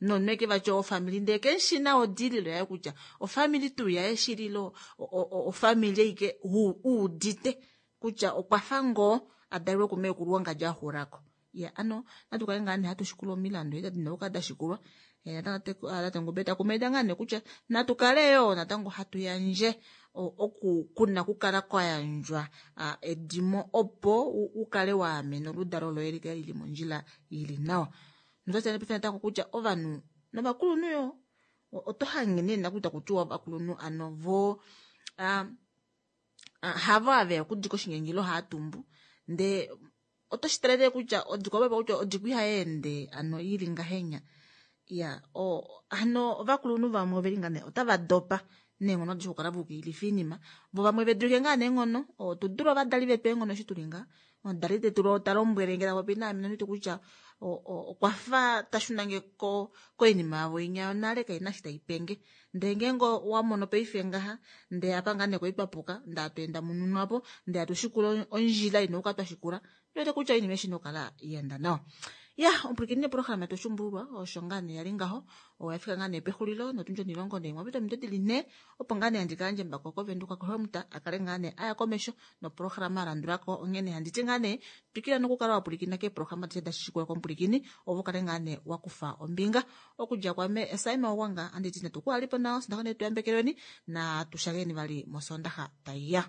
G: Nomunhu eke vatya ofamily ndee keshi na odililo yaye kutya ofamily tuu yaye shililo ofamily eike uudite kutya okwa fa ngoo adalelwe kumeekulu wangadji axulako. Ya, ano natu kale ngaa nee hatu shikula omilandu edi dina okukala da shikulwa. Tate Ngube takumaida ngaa nee kutya natu kale yoo natango hatu yandje oku kuna okukala kwa yandjwa edimo opo ukale wa amena oludalo loye likale lili mondjila ili nawa. Notwa paife natango kutya ovanhu novakulunhu yo oto hange nee nakuta kutiwa ovakulunhu ano vo havo aveya okudika oshinyanyilo haatumbu, ndee oto shi talele kutya odiko opo kutya odiko ihayeende ano ili ngahenya. Ya, ano ovakulunhu vamwe oveli ngaa nee otava dopa neenghono adishe okukala vaukililifa oinima, vo vamwe vedulike ngaa neenghono. Otu dule ovadali vetu eenghono eshi tuli ngaa omudali tetu ta lombwele nge ta popi naame nonditi kutya okwa fa ta shunange koinima yavo inya yonale kaina shi taipenge. Ndele ngeenge owa mono paife ngaha ndele apa ngaa nee kwali twa puka, ndele hatu enda mununu apo, ndele hatu shikula ondjila ina okukala twa shikula, ndele kutya oinima eshi ina okukala ya enda nawa. Ya, omupwilikini neprograma yetu Oshuumbululwa osho ngaa nee yali ngaho, oyafika ngaa nee pexulilo notundji onilongo neimwe apita ominute dili 4, opo ngaa nee handi ka yandje embako koVenduka koHelmut a kale ngaa nee aya komesho noprograma ya landulako. Onghene handi ti ngaa nee twikila nokukala wa pwilikina keeprograma adishe da shikula komupwilikini, opo u kale ngaa nee wa kufa ombinga. Okudja kwame Simon Owanga, handi ti natu ku alipo nawa, sondaxa nee tuyambekelweni, na tushakeni vali mosondaxa taiya.